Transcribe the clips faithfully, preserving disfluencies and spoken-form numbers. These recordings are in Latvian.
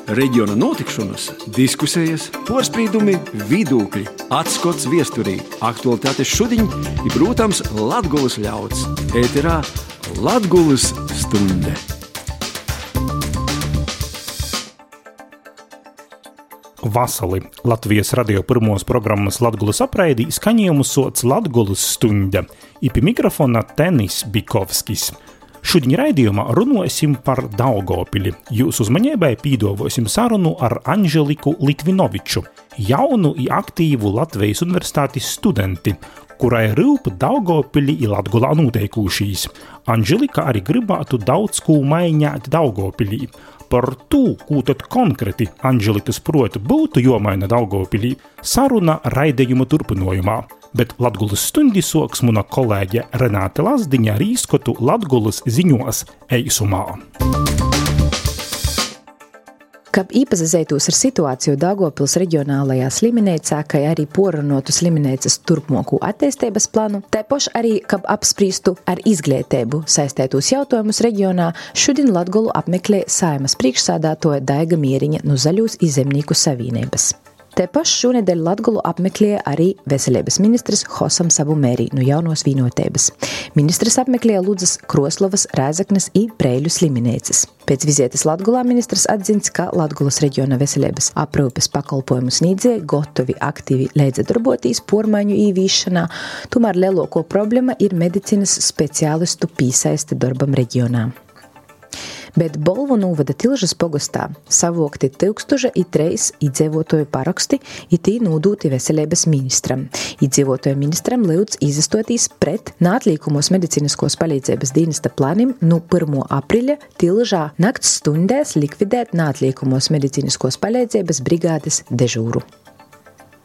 Reģiona notikšanas, diskusijas, porspīdumi, vidūkļi, atskots viesturī, aktualitātes šudiņ i, protams, Latgulas ļauds. Ēterā Latgulas stunde. Vasali Latvijas radio pirmos programmas Latgulas apraidī skaņojumu soc Latgulas stunde, i pie mikrofona Tenis Bikovskis. Šudiņ raidījumā runosim par Daugavpili. Jūs uzmanībai pīdovosim sarunu ar Anželiku Litvinoviču, jaunu i aktīvu Latvijas universitātes studenti, kurai ryup Daugavpili i Latgulā noteikūšīs. Anželika arī gribētu daudz kū maiņāt Daugavpilī. Par to, ko tad konkrēti Anželikas proti būtu jomaina Daugavpilī, saruna raidījuma turpinojumā. Bet Latgulas stundi soks muna kolēģe Renāte Lazdiņa ar īskotu Latgulas ziņos eisumā. Kab īpazazeitos ar situāciju Daugavpils reģionālajā sliminēcā, kā arī porunotu sliminēcas turpmoku attīstības planu, tepoš arī, kab apsprīstu ar izglītību saistētos jautājumus reģionā, šodien Latgulu apmeklē Saeimas priekšsādātoja Daiga Mieriņa no Zaļūs i Zemnieku savienības. Tepaš šonedēļ Latgulu apmeklēja arī veselības ministrs Hosam Savumērī no Jaunos Vīnotēbas. Ministrs apmeklēja Ludzas, Kroslovas, Rēzaknes i Preiļu sliminēcas. Pēc vizietes Latgulā ministrs atzins, ka Latgulas reģiona veselības aprūpes pakalpojumu sniedzēji gotovi aktīvi līdzdarbotīs pormaiņu īvīšanā, tomēr lielāko problēma ir medicīnas speciālistu pīsaiste darbam reģionā. Bet Bolvu novada Tilžas pogostā savokti tūkstoša i treis iedzīvotoju paraksti i tī nūdūti veselības ministram. Iedzīvotoju ministram lyudz izastotīs pret nātlīkumos medicīniskos palīdzības dienesta planim no pirmā aprīļa Tilžā nakts stundēs likvidēt nātlīkumos medicīniskos palīdzības brigādes dežūru.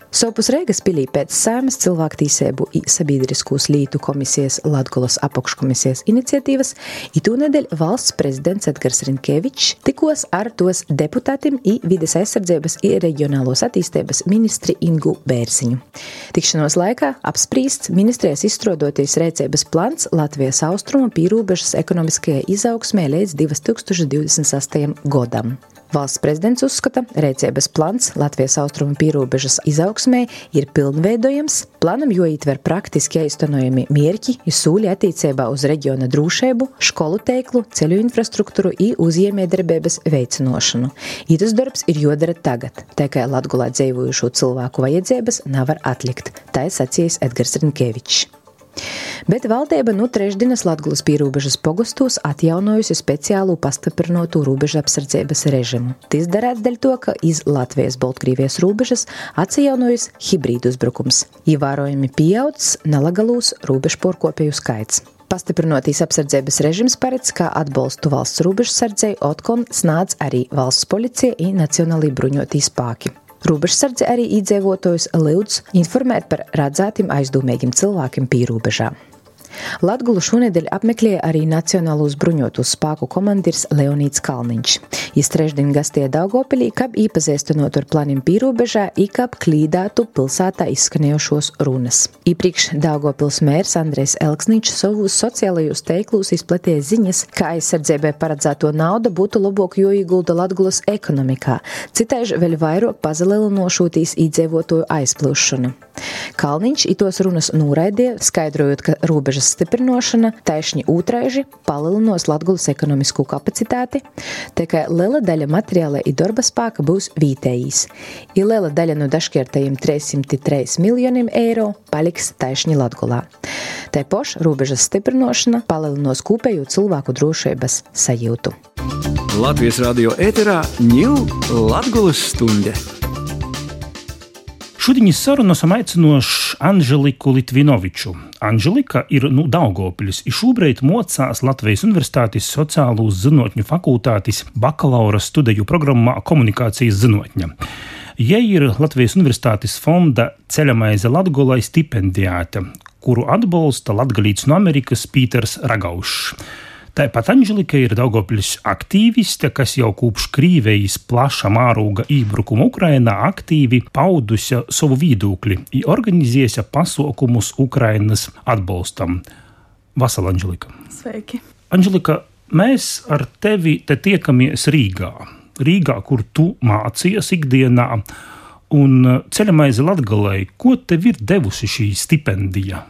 Sopus Reigas pilī pēc Saeimas cilvēktīsēbu i sabiedriskūs lītu komisijas Latgulas apakškomisijas iniciatīvas itūnedēļ valsts prezidents Edgars Rinkevičs tikos ar tos deputātim i vides aizsardzības i reģionālos attīstības ministri Ingu Bērziņu. Tikšanos laikā apsprīsts ministrijas izstrādoties rēcības plans Latvijas austrumu pīrūbežas ekonomiskajai izaugsmē līdz divi tūkstoši divdesmit sastajam godam. Valsts prezidents uzskata, rēcības plans Latvijas austrumu pīrūbežas izaugsmē ir pilnveidojams, planam joītver praktiski aiztenojami mierķi i sūļi attīcībā uz reģiona drūšeibu, školu teiklu, ceļu infrastruktūru i uzjēmējdarbības veicinošanu. Itas darbs ir jodara tagad, tā kā Latgulā dzeivojušo cilvēku vajadzības nevar atlikt, tā sacījis Edgars Rinkevičs. Bet valdība nu trešdienas Latgulas pīrūbežas pogostos atjaunojusi speciālu pastiprinotu rūbežu apsardzības režimu. Tas darēts dēļ to, ka iz Latvijas-Baltkrievijas rūbežas atjaunojas hibrīdu uzbrukums. Ievērojami pieaudzis nelegalūs rūbežu porkopēju skaits. Pastiprinoties apsardzības režims paredz, kā atbalstu valsts rūbežsardzei otkon snādz arī valsts policija i nacionālī bruņotī spāki. Rūbežsardze arī iedzīvotājus lyudz informēt par redzētiem aizdūmīgiem cilvēkiem pīrūbežā. Latgulu šonedēļ apmeklēja arī Nacionālos bruņotos spāku komandirs Leonīds Kalniņš. Jis trešdien gastēja Daugavpilī, kab īpazīstinot ar planiem pīrūbežā i kab klīdātu pilsētā izskanējošos runas. Iepriekš Daugavpils mērs Andrejs Elksniņš savos sociālajos teiklūs izplatīja ziņas, ka aizsardzībai paredzēto naudu būtu labāk joīgulda Latgulas ekonomikā, citaiž vēl vairāk pazalielinošūtīs iedzīvotāju aizplūšanu. Kalniņš itos runas nūraidīja, skaidrojot, ka robežas stiprinošana taišņi ūtraiži palielinās Latgulas ekonomisko kapacitāti, tā kā liela daļa materiāla i darba spēka būs vietējīs. I liela daļa no dažkārtajiem trīssimt trīs miljoniem eiro paliks taišņi Latgulā. Tāpoš robežas stiprinošana palielinās kopējo cilvēku drošības sajūtu. Latvijas radio ēterā ņū Latgulas stunde. Šodiņas sarunu esam aicinoši Anželiku Litvinoviču. Anželika ir no Daugavpiļas i šobrīd mocās Latvijas universitātes sociālūs zinotņu fakultātes bakalaura studiju programmā komunikācijas zinotņa. Jai ir Latvijas universitātes fonda Ceļamaize Latgulai stipendijāte, kuru atbalsta latgalīts no Amerikas Pīters Ragaušs. Tāpat Anželika ir Daugavpiļas aktīviste, kas jau kopš Krīvejas plaša mārūga ībrukuma Ukrainā aktīvi paudusi savu viedokli i organizējusi pasaukumus Ukrainas atbalstam. Vasala, Anželika. Sveiki. Anželika, mēs ar tevi te tiekamies Rīgā. Rīgā, kur tu mācījies ikdienā, un Ceļamaize Latgalei, ko tev ir devusi šī stipendija?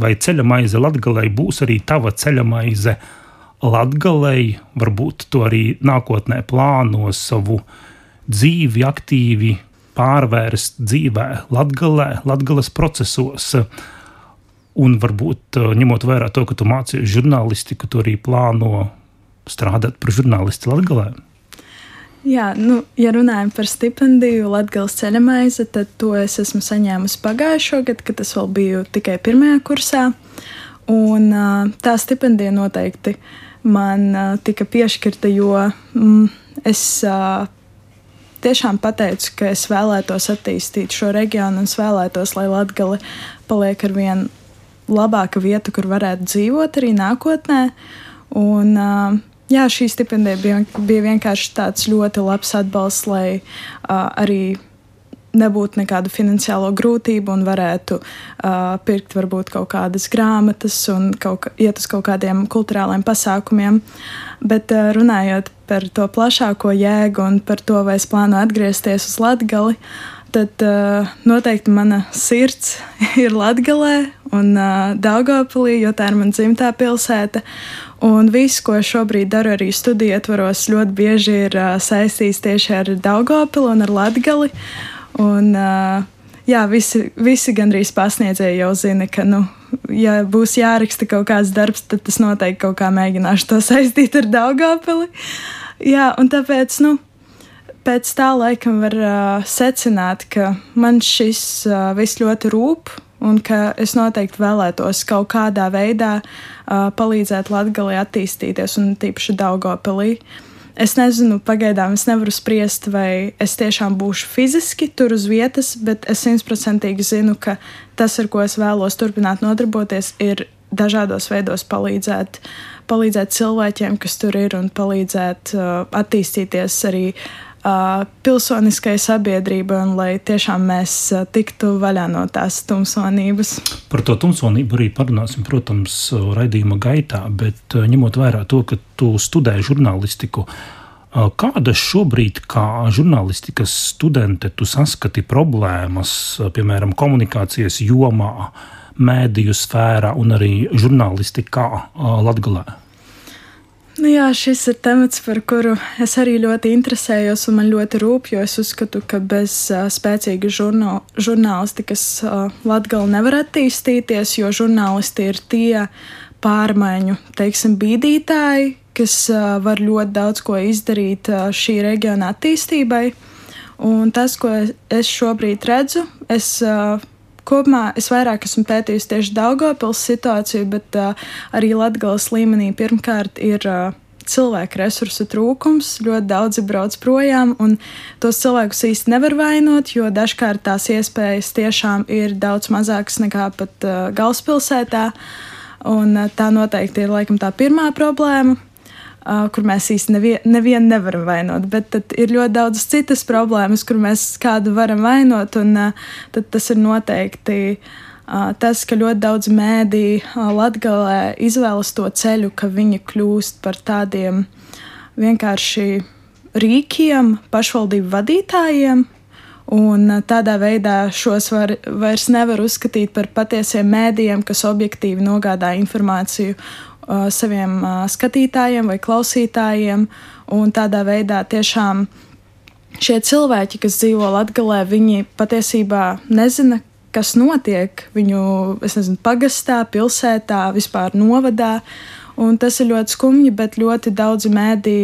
Vai Ceļamaize Latgalei būs arī tava ceļamaize Latgalei? Varbūt tu arī nākotnē plāno savu dzīvi aktīvi pārvērst dzīvē Latgalē, Latgales procesos. Un varbūt ņemot vērā to, ka tu mācījies žurnālistiku, tu arī plāno strādāt par žurnālisti Latgalē? Jā, nu, ja runājam par stipendiju Latgales ceļamaize, tad to es esmu saņēmusi pagājušo gadu, kad es vēl biju tikai pirmajā kursā. Un tā stipendija noteikti man tika piešķirta, jo mm, es tiešām pateicu, ka es vēlētos attīstīt šo reģionu un es vēlētos, lai Latgale paliek ar vien labāka vieta, kur varētu dzīvot arī nākotnē. Un jā, šī stipendija bija, bija vienkārši tāds ļoti labs atbalsts, lai uh, arī nebūtu nekādu finansiālo grūtību un varētu uh, pirkt varbūt kaut kādas grāmatas un kaut, iet uz kaut kādiem kulturāliem pasākumiem. Bet uh, runājot par to plašāko jēgu un par to, vai es plānu atgriezties uz Latgali, tad uh, noteikti mana sirds ir Latgalē un uh, Daugavpilī, jo tā ir mana dzimtā pilsēta. Un viss, ko šobrīd daru arī studiju ietvaros, ļoti bieži ir uh, saistīts tieši ar Daugavpili un ar Latgali. Un, uh, jā, visi, visi gandrīz pasniedzēji jau zina, ka, nu, ja būs jāraksta kaut kāds darbs, tad tas noteikti kaut kā mēģināšu to saistīt ar Daugavpili. Jā, un tāpēc, nu, pēc tā laikam var uh, secināt, ka man šis uh, viss ļoti rūp un ka es noteikti vēlētos kaut kādā veidā uh, palīdzēt Latgalei attīstīties un tīpaši Daugavpilī. Es nezinu, pagaidām es nevaru spriest, vai es tiešām būšu fiziski tur uz vietas, bet es simtprocentīgi zinu, ka tas, ar ko es vēlos turpināt nodarboties, ir dažādos veidos palīdzēt, palīdzēt cilvēkiem, kas tur ir, un palīdzēt uh, attīstīties arī uh, pilsoniskai sabiedrībai, un lai tiešām mēs uh, tiktu vaļā no tās tumsonības. Par to tumsonību arī parunāsim, protams, raidījuma gaitā, bet uh, ņemot vērā to, ka tu studē žurnālistiku, uh, kādas šobrīd kā žurnālistikas studente tu saskati problēmas, uh, piemēram, komunikācijas jomā, mēdīju sfērā un arī žurnālistikā Latgalē? Nu jā, šis ir temats, par kuru es arī ļoti interesējos un man ļoti rūp, jo es uzskatu, ka bez uh, spēcīga žurnā, žurnālistikas uh, Latgala nevar attīstīties, jo žurnālisti ir tie pārmaiņu, teiksim, bīdītāji, kas uh, var ļoti daudz ko izdarīt uh, šī reģiona attīstībai. Un tas, ko es šobrīd redzu, es uh, Kopumā es vairāk esmu pētījusi tieši Daugavpils situāciju, bet uh, arī Latgales līmenī pirmkārt ir uh, cilvēku resursu trūkums. Ļoti daudzi brauc projām, un tos cilvēkus īsti nevar vainot, jo dažkārt tās iespējas tiešām ir daudz mazākas nekā pat uh, galvaspilsētā. Un uh, tā noteikti ir laikam tā pirmā problēma, Uh, kur mēs īsti nevien, nevienu nevaram vainot, bet tad ir ļoti daudz citas problēmas, kur mēs kādu varam vainot, un uh, tad tas ir noteikti uh, tas, ka ļoti daudz mēdī uh, Latgalē izvēlas to ceļu, ka viņi kļūst par tādiem vienkārši rīkiem, pašvaldību vadītājiem, un uh, tādā veidā šos var, vairs nevar uzskatīt par patiesiem mēdījiem, kas objektīvi nogādā informāciju saviem uh, skatītājiem vai klausītājiem, un tādā veidā tiešām šie cilvēki, kas dzīvo Latgalē, viņi patiesībā nezina, kas notiek viņu, es nezinu, pagastā, pilsētā, vispār novadā, un tas ir ļoti skumji, bet ļoti daudzi mēdī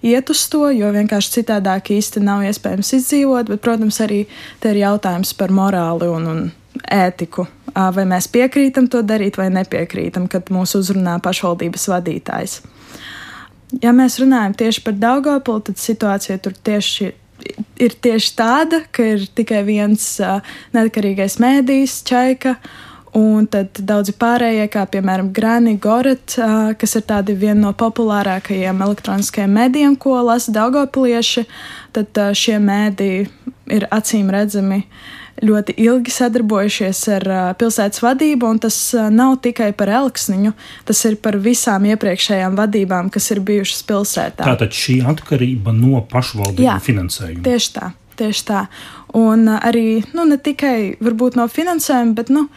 iet uz to, jo vienkārši citādāk īsti nav iespējams izdzīvot, bet, protams, arī te ir jautājums par morāli un, un ētiku. Vai mēs piekrītam to darīt vai nepiekrītam, kad mūs uzrunā pašvaldības vadītājs. Ja mēs runājam tieši par Daugavpili, tad situācija tur tieši ir tieši tāda, ka ir tikai viens uh, neatkarīgais mēdījis, Čaika, un tad daudzi pārējie, kā piemēram Grani, Goret, uh, kas ir tādi viena no populārākajiem elektroniskajiem mēdījiem, ko lasa daugavpilieši, tad uh, šie mēdīji ir acīm redzami ļoti ilgi sadarbojušies ar uh, pilsētas vadību, un tas uh, nav tikai par Elksniņu, tas ir par visām iepriekšējām vadībām, kas ir bijušas pilsētā. Tātad šī atkarība no pašvaldību Jā, finansējuma. Tieši tā, tieši tā. Un uh, arī, nu, ne tikai varbūt no finansējuma, bet, nu,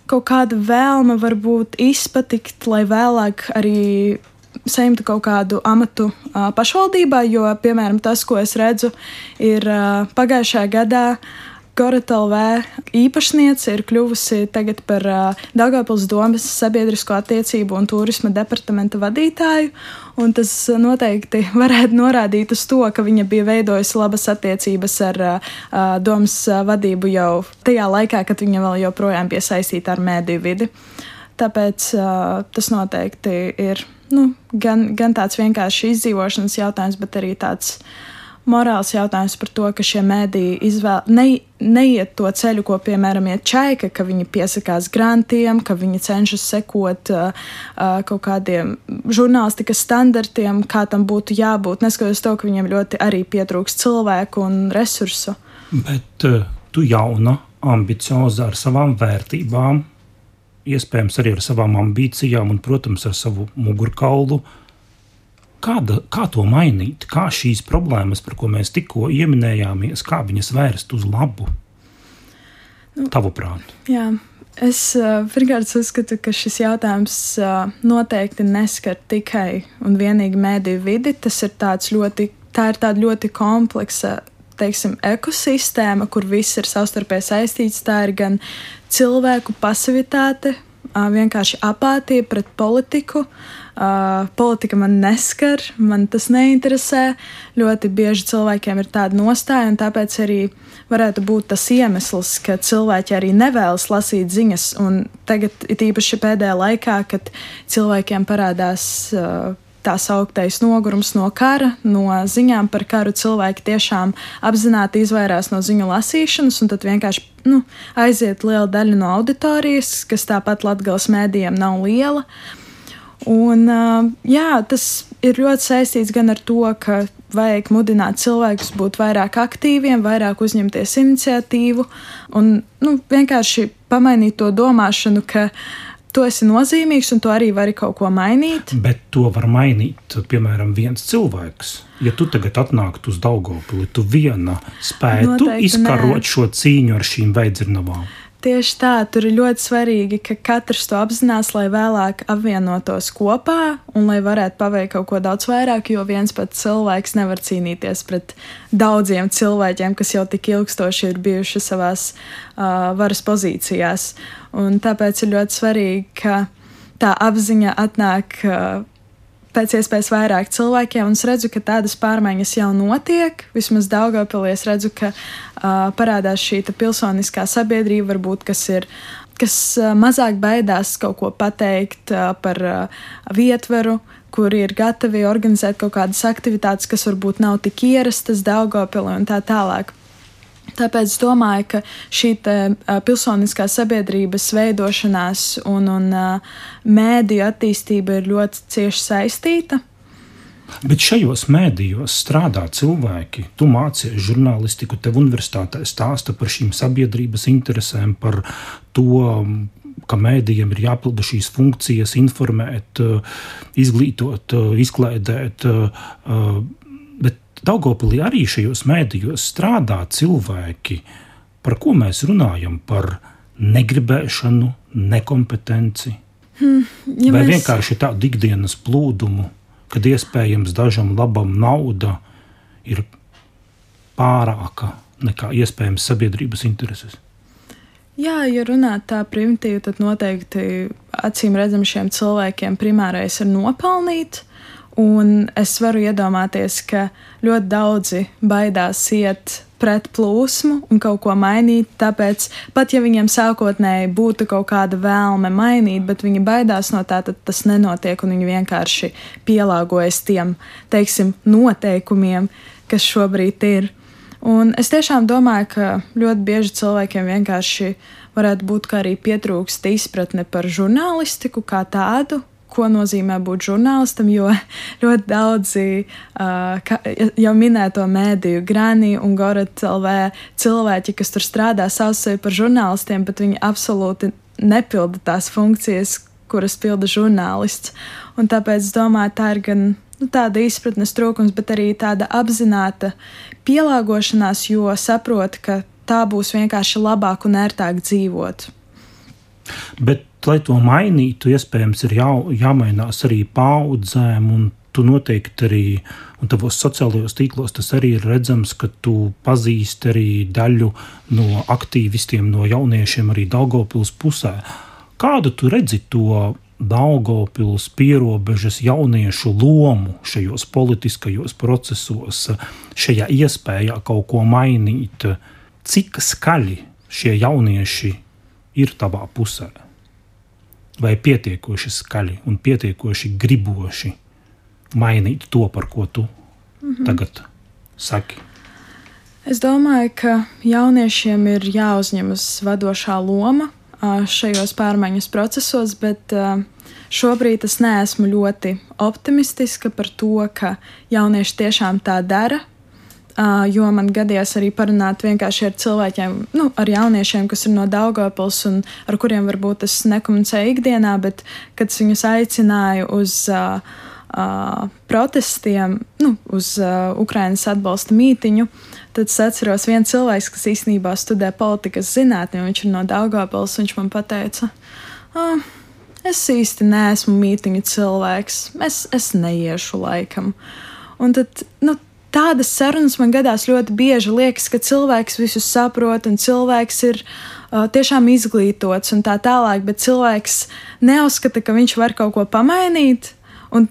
kaut kāda vēlme varbūt izpatikt, lai vēlāk arī saimtu kaut kādu amatu uh, pašvaldībā, jo, piemēram, tas, ko es redzu, ir uh, pagājušajā gadā Gorata L V īpašniece ir kļuvusi tagad par uh, Daugavpils domes sabiedrisko attiecību un turisma departamenta vadītāju, un tas noteikti varētu norādīt uz to, ka viņa bija veidojusi labas attiecības ar uh, domes vadību jau tajā laikā, kad viņa vēl joprojām bija saistīta ar mēdīju vidi. Tāpēc uh, tas noteikti ir nu, gan, gan tāds vienkārši izdzīvošanas jautājums, bet arī tāds morāls jautājums par to, ka šie mēdīji izvēl, ne, neiet to ceļu, ko, piemēram, iet Čaika, ka viņi piesakās grantiem, ka viņi cenšas sekot uh, uh, kaut kādiem žurnālistikas standartiem, kā tam būtu jābūt, neskatoties to, ka viņiem ļoti arī pietrūks cilvēku un resursu. Bet uh, tu jauna, ambicioza ar savām vērtībām, iespējams arī ar savām ambīcijām un, protams, ar savu mugurkaulu. Kāda, kā to mainīt? Kā šīs problēmas, par ko mēs tikko ieminējāmies, kā viņas vērst uz labu? Nu, tavuprāt? Jā, es uh, pirmkārt uzskatu, ka šis jautājums uh, noteikti neskar tikai un vienīgi mēdīju vidi. Tas ir tāds ļoti, tā ir tāda ļoti kompleksa, teiksim, ekosistēma, kur viss ir savstarpēji saistīts. Tā ir gan cilvēku pasivitāte, uh, vienkārši apātija pret politiku. Uh, politika man neskar, man tas neinteresē. Ļoti bieži cilvēkiem ir tāda nostāja, un tāpēc arī varētu būt tas iemesls, ka cilvēki arī nevēlas lasīt ziņas. Un tagad ir īpaši pēdējā laikā, kad cilvēkiem parādās uh, tā sauktais nogurums no kara, no ziņām par karu, cilvēki tiešām apzināti izvairās no ziņu lasīšanas, un tad vienkārši nu, aiziet liela daļa no auditorijas, kas tāpat Latgales mēdījiem nav liela. Un, jā, tas ir ļoti saistīts gan ar to, ka vajag mudināt cilvēkus būt vairāk aktīviem, vairāk uzņemties iniciatīvu un nu, vienkārši pamainīt to domāšanu, ka tu esi nozīmīgs un tu arī vari kaut ko mainīt. Bet to var mainīt, piemēram, viens cilvēks. Ja tu tagad atnāktu uz Daugavpili, tu viena spētu Noteikti izkarot nē. Šo cīņu ar šīm veidzirnavām. Tieši tā, tur ir ļoti svarīgi, ka katrs to apzinās, lai vēlāk apvienotos kopā un lai varētu paveikt kaut ko daudz vairāk, jo viens pats cilvēks nevar cīnīties pret daudziem cilvēkiem, kas jau tik ilgstoši ir bijuši savās uh, varas pozīcijās. Un tāpēc ir ļoti svarīgi, ka tā apziņa atnāk uh, pēc iespējas vairāk cilvēkiem, un es redzu, ka tādas pārmaiņas jau notiek. Vismaz Daugavpilī es redzu, ka uh, parādās šī pilsoniskā sabiedrība, varbūt, kas ir, kas uh, mazāk baidās kaut ko pateikt uh, par uh, vietvaru, kuri ir gatavi organizēt kaut kādas aktivitātes, kas varbūt nav tik ierastas Daugavpilī un tā tālāk. Tāpēc es domāju, ka šī te, uh, pilsoniskā sabiedrības veidošanās un, un uh, mēdīju attīstība ir ļoti cieši saistīta. Bet šajos mēdījos strādā cilvēki. Tu mācies žurnālistiku, tev universitātē stāsta par šīm sabiedrības interesēm, par to, ka mēdījiem ir jāpilda šīs funkcijas, informēt, izglītot, izklaidēt, bet Daugavpilī arī šajos mēdījos strādā cilvēki, par ko mēs runājam, par negribēšanu, nekompetenci, hmm, ja vai mēs... vienkārši tādu ikdienas plūdumu, kad iespējams dažam labam nauda ir pārāka nekā iespējams sabiedrības intereses. Jā, ja runāt tā primitīvi, tad noteikti acīm redzam šiem cilvēkiem primārais ir nopelnīt. Un es varu iedomāties, ka ļoti daudzi baidās iet pret plūsmu un kaut ko mainīt, tāpēc pat ja viņiem sākotnēji būtu kaut kāda vēlme mainīt, bet viņi baidās no tā, tad tas nenotiek un viņi vienkārši pielāgojas tiem, teiksim, noteikumiem, kas šobrīd ir. Un es tiešām domāju, ka ļoti bieži cilvēkiem vienkārši varētu būt, ka arī pietrūkst izpratne par žurnālistiku kā tādu, ko nozīmē būt žurnālistam, jo ļoti daudzi uh, ka, jau minēto mēdīju Granī un Gorat L V cilvēki, kas tur strādā, sauc sevi par žurnālistiem, bet viņi absolūti nepilda tās funkcijas, kuras pilda žurnālists. Un tāpēc es domāju, tā ir gan nu, tāda izpratnes trūkums, bet arī tāda apzināta pielāgošanās, jo saprot, ka tā būs vienkārši labāk un ērtāk dzīvot. Bet, lai to mainītu, iespējams, ir jā, jāmainās arī paudzēm, un tu noteikti arī, un tavos sociālajos tīklos tas arī ir redzams, ka tu pazīsti arī daļu no aktīvistiem, no jauniešiem arī Daugavpils pusē. Kādu tu redzi to Daugavpils pierobežas jauniešu lomu šajos politiskajos procesos, šajā iespējā kaut ko mainīt? Cik skaļi šie jaunieši ir tavā pusē? Vai pietiekoši skaļi un pietiekoši griboši mainīt to, par ko tu mm-hmm. tagad saki? Es domāju, ka jauniešiem ir jāuzņemas vadošā loma šajos pārmaiņas procesos, bet šobrīd es neesmu ļoti optimistiska par to, ka jaunieši tiešām tā dara, jo man gadījās arī parunāt vienkārši ar cilvēkiem, nu, ar jauniešiem, kas ir no Daugavpils un ar kuriem varbūt es nekomunicēju ikdienā, bet kad es viņus aicināju uz uh, uh, protestiem, nu, uz uh, Ukrainas atbalsta mītiņu, tad es atceros viens cilvēks, kas īstenībā studē politikas zinātni, un viņš ir no Daugavpils, viņš man pateica, ah, es īsti neesmu mītiņu cilvēks, es, es neiešu laikam. Un tad, nu, tādas sarunas man gadās ļoti bieži. Liekas, ka cilvēks visu saprot un cilvēks ir uh, tiešām izglītots un tā tālāk, bet cilvēks neuzskata, ka viņš var kaut ko pamainīt. Un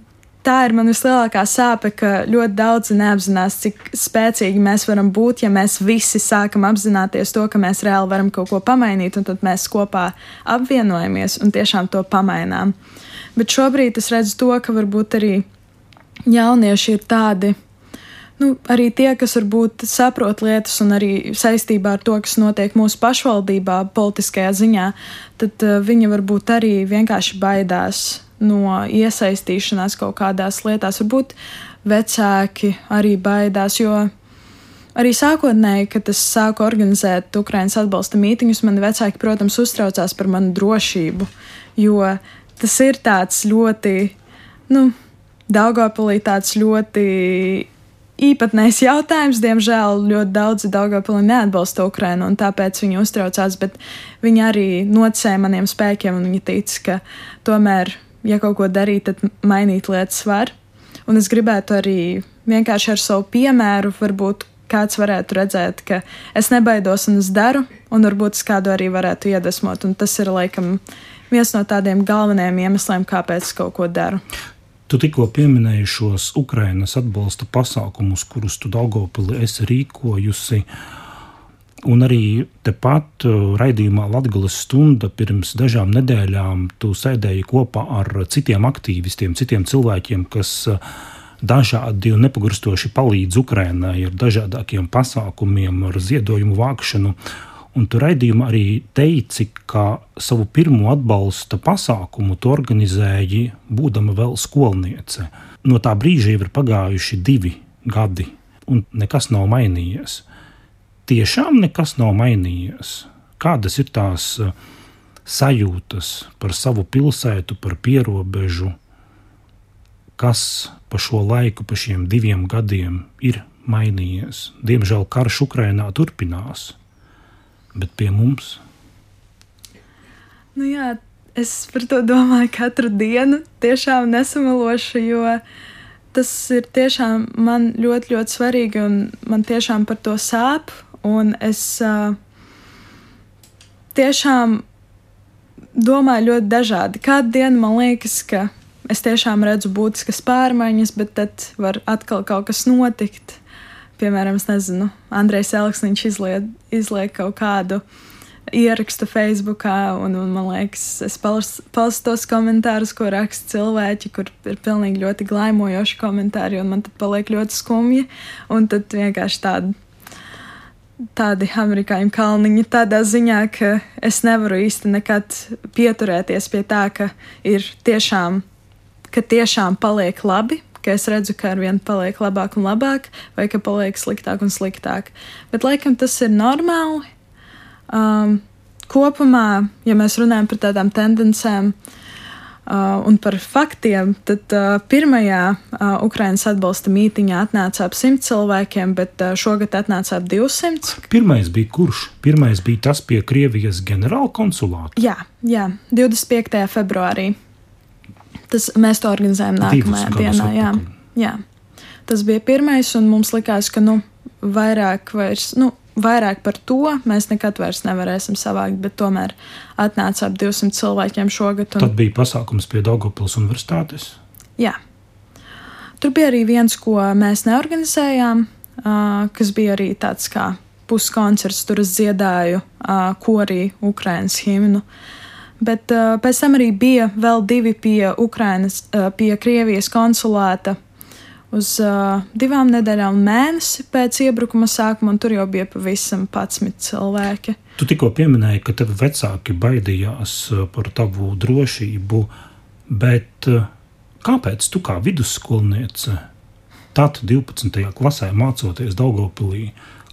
tā ir man vislielākā sāpe, ka ļoti daudzi neapzinās, cik spēcīgi mēs varam būt, ja mēs visi sākam apzināties to, ka mēs reāli varam kaut ko pamainīt, un tad mēs kopā apvienojamies un tiešām to pamainām. Bet šobrīd es redzu to, ka varbūt arī jaunieši ir tādi, nu, arī tie, kas varbūt saprot lietas un arī saistībā ar to, kas notiek mūsu pašvaldībā politiskajā ziņā, tad uh, viņi varbūt arī vienkārši baidās no iesaistīšanās kaut kādās lietās. Varbūt vecāki arī baidās, jo arī sākotnēji, kad es sāku organizēt Ukrainas atbalsta mītiņus, mani vecāki, protams, uztraucās par manu drošību, jo tas ir tāds ļoti, nu, Daugavpilī tāds ļoti īpatnējs jautājums, diemžēl ļoti daudzi Daugavpilī neatbalsta Ukrainu, un tāpēc viņi uztraucās, bet viņi arī noticēja maniem spēkiem, un viņi tic, ka tomēr, ja kaut ko darīt, tad mainīt lietas var. Un es gribētu arī vienkārši ar savu piemēru, varbūt kāds varētu redzēt, ka es nebaidos un es daru, un varbūt es kādu arī varētu iedvesmot, un tas ir, laikam, viens no tādiem galvenajiem iemesliem, kāpēc es kaut ko daru. Tu tikko pieminēji šos Ukrainas atbalsta pasākumus, kurus tu Daugavpilī esi rīkojusi, un arī tepat raidījumā Latgales stunda pirms dažām nedēļām tu sēdēji kopā ar citiem aktīvistiem, citiem cilvēkiem, kas dažādi un nepagurstoši palīdz Ukrainai ar dažādākiem pasākumiem, ar ziedojumu vākšanu. Un tu raidījumā arī teici, ka savu pirmo atbalsta pasākumu tu organizēji, būdama vēl skolniece. No tā brīža jau ir pagājuši divi gadi, un nekas nav mainījies. Tiešām nekas nav mainījies. Kādas ir tās sajūtas par savu pilsētu, par pierobežu, kas pa šo laiku, pa šiem diviem gadiem ir mainījies? Diemžēl karš Ukrainā turpinās. Bet pie mums? Nu jā, es par to domāju katru dienu, tiešām nesamelošu, jo tas ir tiešām man ļoti, ļoti svarīgi un man tiešām par to sāp. Un es uh, tiešām domāju ļoti dažādi. Kādu dienu man liekas, ka es tiešām redzu būtiskas pārmaiņas, bet tad var atkal kaut kas notikt. Piemēram, es nezinu, Andrejs Elksniņš izliek, izliek kaut kādu ierakstu Facebookā, un, un man liekas, es palstu tos komentārus, ko raksta cilvēki, kur ir pilnīgi ļoti glaimojoši komentāri, un man tad paliek ļoti skumji, un tad vienkārši tādi, tādi amerikāņu kalniņi tādā ziņā, ka es nevaru īsti nekad pieturēties pie tā, ka ir tiešām ka tiešām paliek labi, ka es redzu, ka ar vienu paliek labāk un labāk, vai ka paliek sliktāk un sliktāk. Bet laikam tas ir normāli. Um, kopumā, ja mēs runājam par tādām tendencēm uh, un par faktiem, tad uh, pirmajā uh, Ukrainas atbalsta mītiņā atnāca ap simt cilvēkiem, bet uh, šogad atnāca ap divsimt. Pirmais bija kurš? Pirmais bija tas pie Krievijas ģenerāla konsulāta? Jā, jā, divdesmit piektajā februārī. Tas, mēs to organizējam nākamajā dienā. Jā, jā. Tas bija pirmais, un mums likās, ka nu, vairāk, vairs, nu, vairāk par to mēs nekad vairs nevarēsim savākt, bet tomēr atnāca ap divsimt cilvēkiem šogad. Un... Tad bija pasākums pie Daugavpils universitātes? Jā. Tur bija arī viens, ko mēs neorganizējām, uh, kas bija arī tāds kā puskoncerts. Tur es dziedāju uh, korī Ukrainas himnu. Bet uh, pēc tam arī bija vēl divi pie Ukrainas, uh, pie Krievijas konsulāta uz uh, divām nedēļām mēnesi pēc iebrukuma sākuma, un tur jau bija pavisam padsmit cilvēki. Tu tikko pieminēji, ka tevi vecāki baidījās par tavu drošību, bet uh, kāpēc tu kā vidusskolniece, tad divpadsmitajā klasē mācoties Daugavpilī,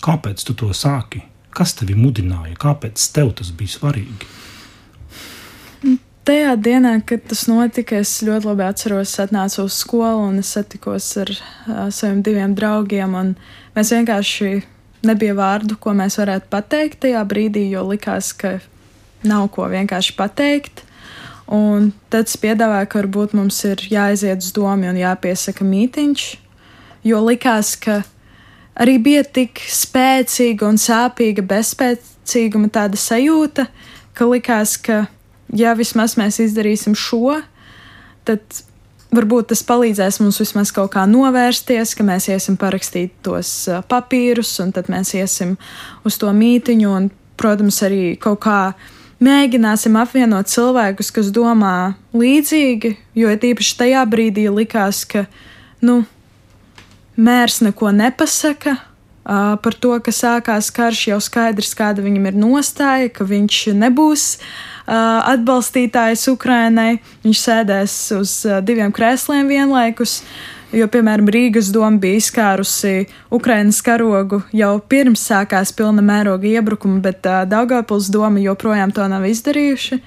kāpēc tu to sāki? Kas tevi mudināja? Kāpēc tev tas bija svarīgi? Tajā dienā, kad tas notika, es ļoti labi atceros, es atnācu uz skolu un es satikos ar uh, saviem diviem draugiem, un mēs vienkārši nebija vārdu, ko mēs varētu pateikt tajā brīdī, jo likās, ka nav ko vienkārši pateikt. Un tad es piedāvāju, ka varbūt mums ir jāaiziet uz domu un jāpiesaka mītiņš, jo likās, ka arī bija tik spēcīga un sāpīga bezspēcīguma tāda sajūta, ka likās, ka ja vismaz mēs izdarīsim šo, tad varbūt tas palīdzēs mums vismaz kaut kā novērsties, ka mēs iesim parakstīt tos papīrus, un tad mēs iesim uz to mītiņu, un, protams, arī kaut kā mēģināsim apvienot cilvēkus, kas domā līdzīgi, jo tīpaši tajā brīdī likās, ka, nu, mērs neko nepasaka uh, par to, ka sākās karš, jau skaidrs, kāda viņam ir nostāja, ka viņš nebūs Uh, atbalstītājs Ukrainai, viņš sēdēs uz uh, diviem krēsliem vienlaikus, jo, piemēram, Rīgas doma bija izkārusi Ukrainas karogu jau pirms sākās pilna mēroga iebrukuma, bet uh, Daugavpils doma joprojām to nav izdarījuši.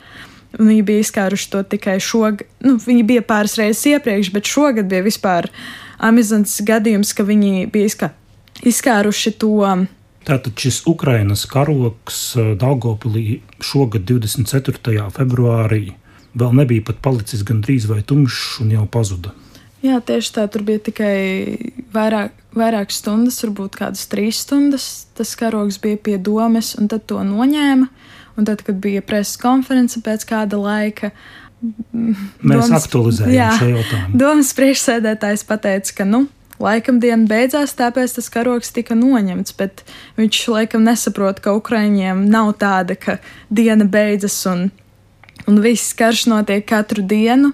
Viņi bija izkāruši to tikai šogad, nu, viņi bija pāris reizes iepriekš, bet šogad bija vispār amizants gadījums, ka viņi bija izkā, izkāruši to. Tātad šis Ukrainas karogs Daugavpilī šogad divdesmit ceturtajā februārī vēl nebija pat palicis gandrīz vai tumšs un jau pazuda. Jā, tieši tā, tur bija tikai vairāk, vairāk stundas, varbūt kādas trīs stundas. Tas karogs bija pie domes, un tad to noņēma. Un tad, kad bija preses konference pēc kāda laika, mēs domas, aktualizējam jā, šo jautājumu. Domas priekšsēdētājs pateica, ka, nu, laikam diena beidzās, tāpēc tas karogs tika noņemts, bet viņš laikam nesaprot, ka Ukraiņiem nav tāda, ka diena beidzas un, un viss karš notiek katru dienu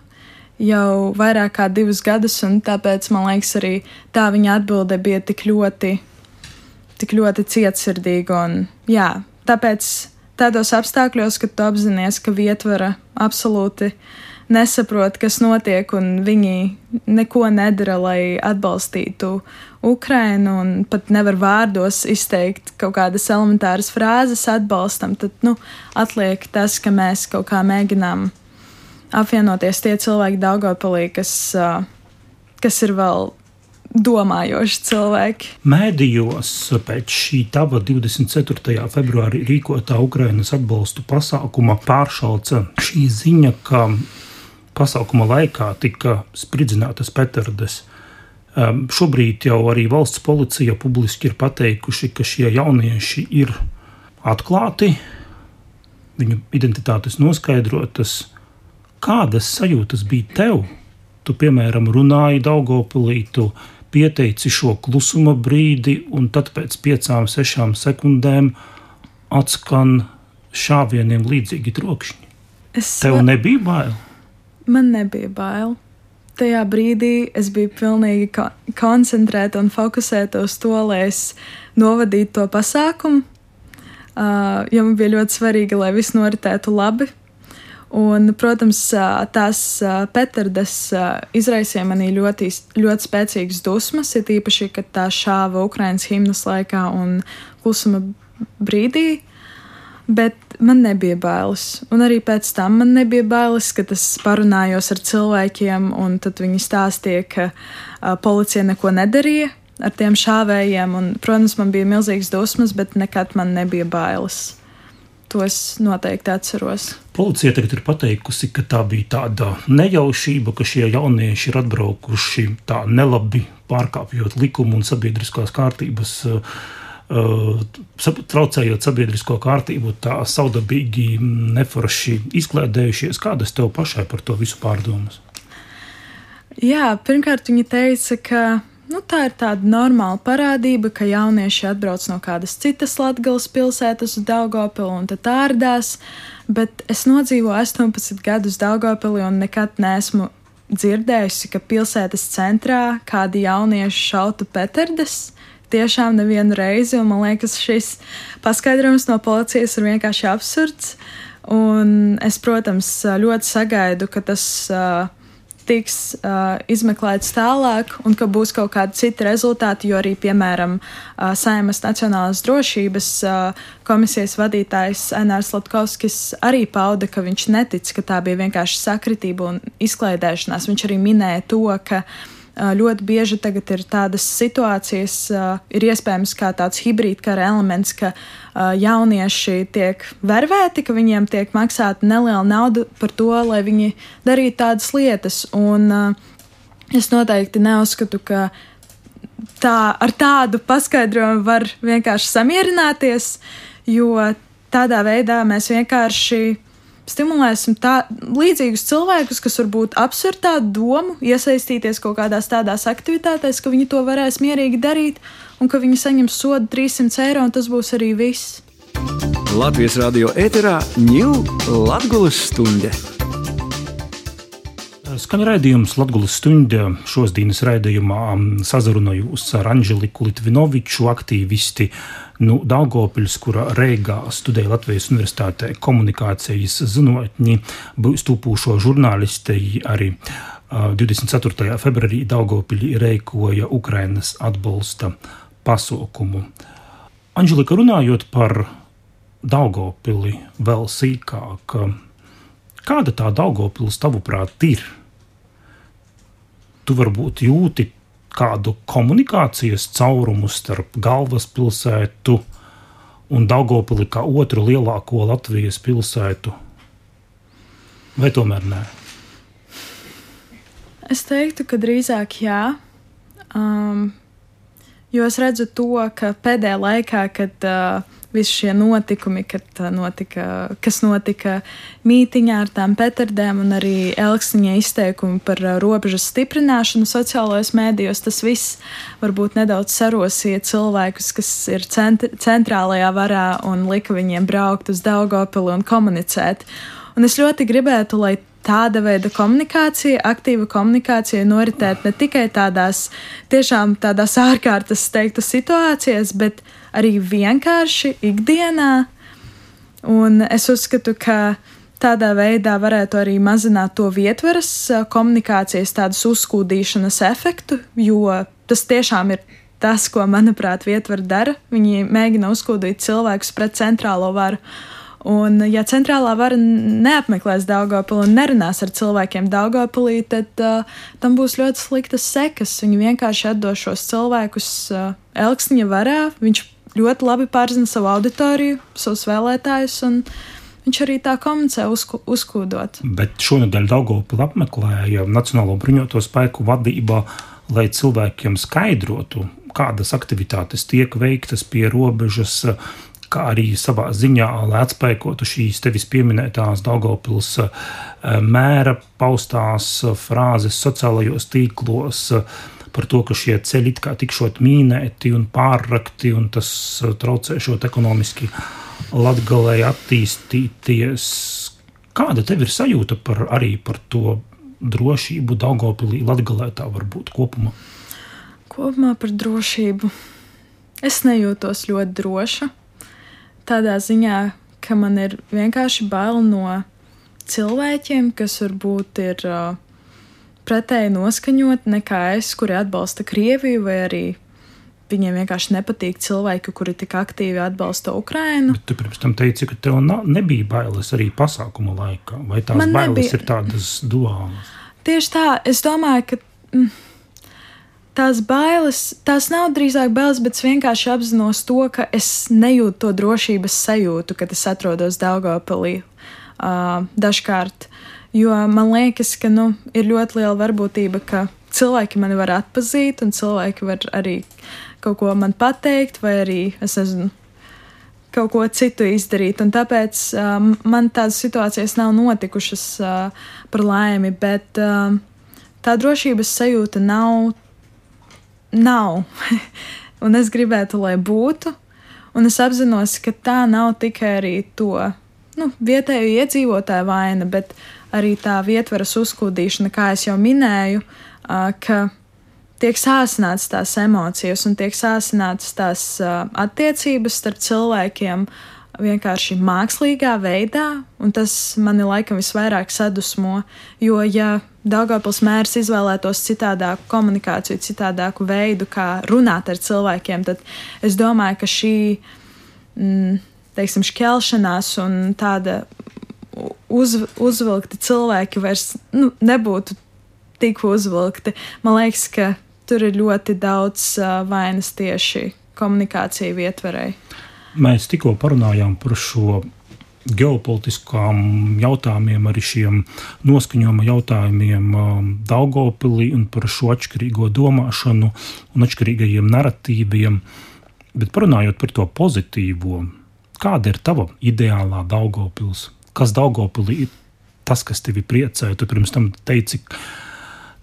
jau vairāk kā divus gadus, un tāpēc, man liekas, arī tā viņa atbilde bija tik ļoti, tik ļoti cietsirdīga, un jā, tāpēc tādos apstākļos, kad tu apzinies, ka vietvara absolūti nesaprot, kas notiek, un viņi neko nedara, lai atbalstītu Ukrainu, un pat nevar vārdos izteikt kaut kādas elementāras frāzes atbalstam, tad, nu, atliek tas, ka mēs kaut kā mēģinām apvienoties tie cilvēki Daugavpilī, kas, kas ir vēl domājoši cilvēki. Mēdījos pēc šī tava divdesmit ceturtajā februārī rīkotā Ukrainas atbalstu pasākuma pāršalca šī ziņa, ka pasākuma laikā tika spridzinātas petardes. Um, šobrīd jau arī valsts policija publiski ir pateikuši, ka šie jaunieši ir atklāti, viņu identitātes noskaidrotas. Kādas sajūtas bija tev? Tu, piemēram, runāji Daugavpilī, tu pieteici šo klusuma brīdi, un tad pēc piecām, sešām sekundēm atskan šāvieniem līdzīgi trokšņi. Es Tev va... nebija bail? Man nebija bail. Tajā brīdī es biju pilnīgi ko- koncentrēta un fokusēta uz to, lai es novadītu to pasākumu, uh, jo man bija ļoti svarīgi, lai viss noritētu labi. Un, protams, tās petardes izraisīja manī ļoti, ļoti spēcīgas dusmas, ir īpaši, kad tā šāva Ukrainas himnas laikā un klusuma brīdī, bet man nebija bailes. Un arī pēc tam man nebija bailes, kad es parunājos ar cilvēkiem, un tad viņi stāstīja, ka uh, policija neko nedarīja ar tiem šāvējiem, un, protams, man bija milzīgas dusmas, bet nekad man nebija bailes. To es noteikti atceros. Policija tagad ir pateikusi, ka tā bija tāda nejaušība, ka šie jaunieši ir atbraukuši tā nelabi pārkāpjot likumu un sabiedriskās kārtības, uh, traucējot sabiedrisko kārtību, tā saudabīgi neforši izklēdējušies. Kādas tev pašai par to visu pārdomas? Jā, pirmkārt viņa teica, ka Nu, tā ir tāda normāla parādība, ka jaunieši atbrauc no kādas citas Latgales pilsētas uz Daugavpili un tad ārdās, bet es nodzīvoju astoņpadsmit gadus Daugavpilī un nekad neesmu dzirdējusi, ka pilsētas centrā kādi jaunieši šautu petardes. Tiešām nevienu reizi, un man liekas, šis paskaidrojums no policijas ir vienkārši absurds. Un es, protams, ļoti sagaidu, ka tas uh, tiks uh, izmeklēts tālāk un ka būs kaut kādi citi rezultāti, jo arī, piemēram, uh, Saeimas Nacionālās drošības uh, komisijas vadītājs Ainārs Latkovskis arī pauda, ka viņš netic, ka tā bija vienkārši sakritība un izklaidēšanās. Viņš arī minēja to, ka uh, ļoti bieži tagad ir tādas situācijas, uh, ir iespējams kā tāds hibrīdkara elements, ka uh, jaunieši tiek vervēti, ka viņiem tiek maksāta neliela nauda par to, lai viņi darītu tādas lietas. Un uh, es noteikti neuzskatu, ka tā, ar tādu paskaidrojumu var vienkārši samierināties, jo tādā veidā mēs vienkārši stimulēsim tā, līdzīgus cilvēkus, kas varbūt apsver tādu domu, iesaistīties kaut kādās tādās aktivitātēs, ka viņi to varēs mierīgi darīt un ka viņi saņems sodu trīssimts eiro, un tas būs arī viss. Latvijas radio ēterā ņiu Latgules stunde. Skan raidījums Latgules stunde. Šodienas raidījumā sazrunājos ar Anželiku Litvinoviču, aktīvisti no Daugavpils, kura Reigā studēja Latvijas Universitātē komunikācijas zinātņi, būs tūpūšo žurnālistei arī divdesmit ceturtajā februārī Daugavpilī rīkoja Ukrainas atbalsta pasaukumu. Anželika, runājot par Daugavpili vēl sīkāk, kāda tā Daugavpils tavuprāt ir? Tu varbūt jūti kādu komunikācijas caurumu starp galvaspilsētu un Daugavpili kā otru lielāko Latvijas pilsētu? Vai tomēr nē? Es teiktu, ka drīzāk jā, um, jo es redzu to, ka pēdējā laikā, kad uh, visi šie notikumi, kad notika, kas notika mītiņā ar tām petardēm un arī Elksniņa izteikumi par robežas stiprināšanu sociālajos mēdījos, tas viss varbūt nedaudz sarosīja cilvēkus, kas ir cent- centrālajā varā un lika viņiem braukt uz Daugavpili un komunicēt. Un es ļoti gribētu, lai tāda veida komunikācija, aktīva komunikācija noritēt ne tikai tādās, tiešām tādās ārkārtas teiktu situācijas, bet arī vienkārši ikdienā. Un es uzskatu, ka tādā veidā varētu arī mazināt to vietvaras komunikācijas tādas uzskūdīšanas efektu, jo tas tiešām ir tas, ko, manuprāt, vietvara dara. Viņi mēģina uzskūdīt cilvēkus pret centrālo varu. Un, ja centrālā vara neapmeklēs Daugavpili un nerunās ar cilvēkiem Daugavpilī, tad uh, tam būs ļoti sliktas sekas. Viņi vienkārši atdos šos cilvēkus uh, Elksniņa varā. Viņš ļoti labi pārzina savu auditoriju, savus vēlētājus, un viņš arī tā komunicē uzku, uzkūdot. Bet šonedēļ Daugavpili apmeklēja Nacionālo bruņoto spēku vadībā, lai cilvēkiem skaidrotu, kādas aktivitātes tiek veiktas pie robežas, kā arī savā ziņā, lai atspēkotu šīs tevis pieminētās Daugavpils mēra paustās frāzes sociālajos tīklos par to, ka šie ceļi it kā tikšot mīnēti un pārrakti, un tas traucēšot ekonomiski Latgalei attīstīties. Kāda tev ir sajūta par, arī par to drošību Daugavpilī, Latgalē tā varbūt kopumā? Kopumā par drošību. Es nejūtos ļoti droša. Tādā ziņā, ka man ir vienkārši bail no cilvēkiem, kas varbūt ir uh, pretēji noskaņoti nekā es, kuri atbalsta Krieviju, vai arī viņiem vienkārši nepatīk cilvēki, kuri tik aktīvi atbalsta Ukrainu. Bet tu pirms tam teici, ka tev na- nebija bailes arī pasākuma laikā, vai tās Man bailes nebija. ir tādas duālas? Tieši tā, es domāju, ka mm, tās bailes, tās nav drīzāk bailes, bet es vienkārši apzinos to, ka es nejūtu to drošības sajūtu, kad es atrodos Daugavpilī uh, dažkārt. Jo man liekas, ka nu, ir ļoti liela varbūtība, ka cilvēki mani var atpazīt, un cilvēki var arī kaut ko man pateikt, vai arī, es nezinu, kaut ko citu izdarīt. Un tāpēc um, man tādas situācijas nav notikušas uh, par laimi, bet um, tā drošības sajūta nav, nav. Un es gribētu, lai būtu. Un es apzinos, ka tā nav tikai arī to nu, vietēju iedzīvotāju vaina, bet arī tā vietvaras uzkūdīšana, kā es jau minēju, uh, ka tiek sāsināts tās emocijas un tiek sāsināts tās uh, attiecības starp cilvēkiem vienkārši mākslīgā veidā, un tas mani laikam visvairāk sadusmo, jo ja Daugavpils mērs izvēlētos citādāku komunikāciju, citādāku veidu, kā runāt ar cilvēkiem, tad es domāju, ka šī, mm, teiksim, šķelšanās un tāda uz, uzvilkti cilvēki vairs nu, nebūtu tik uzvilkti. Man liekas, ka tur ir ļoti daudz uh, vainas tieši komunikācija vietvarei. Mēs tikko parunājām par šo ģeopolitiskām jautājumiem, arī šiem noskaņojuma jautājumiem um, Daugavpilī un par šo atšķirīgo domāšanu un atšķirīgajiem naratīviem. Bet parunājot par to pozitīvo, kāda ir tava ideālā Daugavpils? Kas Daugavpilī ir tas, kas tevi priecē? Tu pirms tam teici,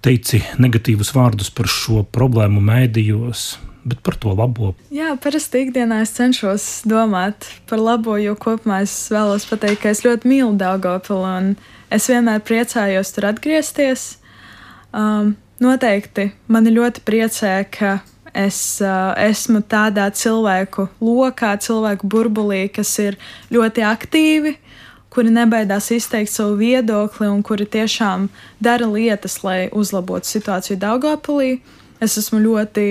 teici negatīvus vārdus par šo problēmu mēdījos, bet par to labo. Jā, parasti ikdienā es cenšos domāt par labo, jo kopumā es vēlos pateikt, ka es ļoti mīlu Daugavpilu un es vienmēr priecājos tur atgriezties. Um, noteikti mani ļoti priecē, ka es uh, esmu tādā cilvēku lokā, cilvēku burbulī, kas ir ļoti aktīvi, kuri nebaidās izteikt savu viedokli un kuri tiešām dara lietas, lai uzlabotu situāciju Daugavpilī. Es esmu ļoti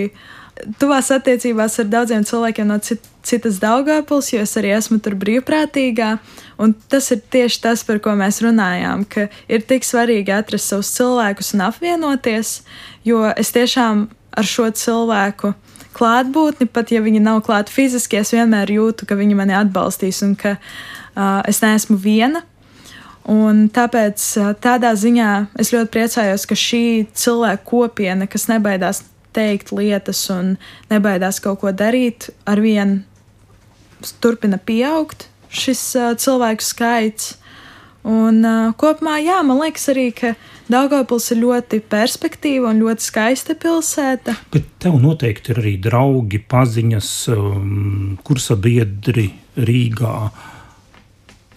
tuvās attiecībās ar daudziem cilvēkiem no cit, citas Daugavpils, jo es arī esmu tur brīvprātīgā, un tas ir tieši tas, par ko mēs runājām, ka ir tik svarīgi atrast savus cilvēkus un apvienoties, jo es tiešām ar šo cilvēku klātbūtni, pat ja viņi nav klāt fiziski, es vienmēr jūtu, ka viņi mani atbalstīs un ka uh, es neesmu viena. Un tāpēc uh, tādā ziņā es ļoti priecājos, ka šī cilvēku kopiena, kas nebaidās teikt lietas un nebaidās kaut ko darīt, arvien turpina pieaugt šis uh, cilvēku skaits. Un uh, kopumā, jā, man liekas arī, ka Daugavpils ir ļoti perspektīva un ļoti skaista pilsēta. Bet tev noteikti ir arī draugi, paziņas, um, kursabiedri Rīgā.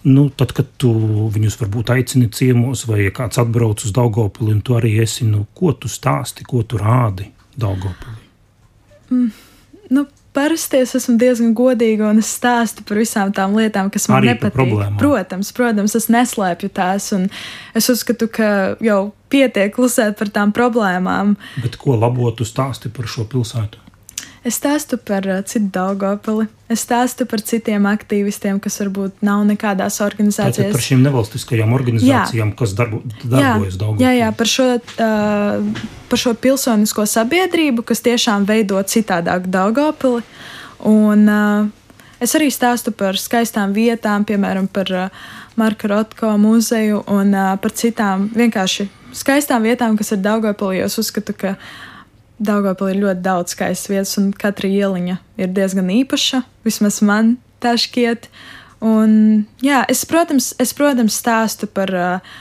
Nu, tad, kad tu viņus varbūt aicini ciemos vai ja kāds atbrauc uz Daugavpili un tu arī esi, nu, ko tu stāsti, ko tu rādi Daugavpilī? Mm, nu, parasti es esmu diezgan godīga un es stāstu par visām tām lietām, kas man arī nepatīk. Protams, protams, es neslēpju tās un es uzskatu, ka jau pietiek klusēt par tām problēmām. Bet ko labo tu stāsti par šo pilsētu? Es stāstu par uh, citu Daugavpili. Es stāstu par citiem aktīvistiem, kas varbūt nav nekādās organizācijās. Tātad par šīm nevalstiskajām organizācijām, jā. Kas darbo, darbojas Daugavpilī. Jā, jā, par šo, uh, par šo pilsonisko sabiedrību, kas tiešām veido citādāk Daugavpili. Un uh, es arī stāstu par skaistām vietām, piemēram, par uh, Marka Rotko muzeju un uh, par citām vienkārši skaistām vietām, kas ir Daugavpilī. Es uzskatu, ka Daugavpilī ir ļoti daudz skaistas vietas, un katra ieliņa ir diezgan īpaša. Vismaz man tā šķiet. Un, jā, es, protams, es, protams, stāstu par uh,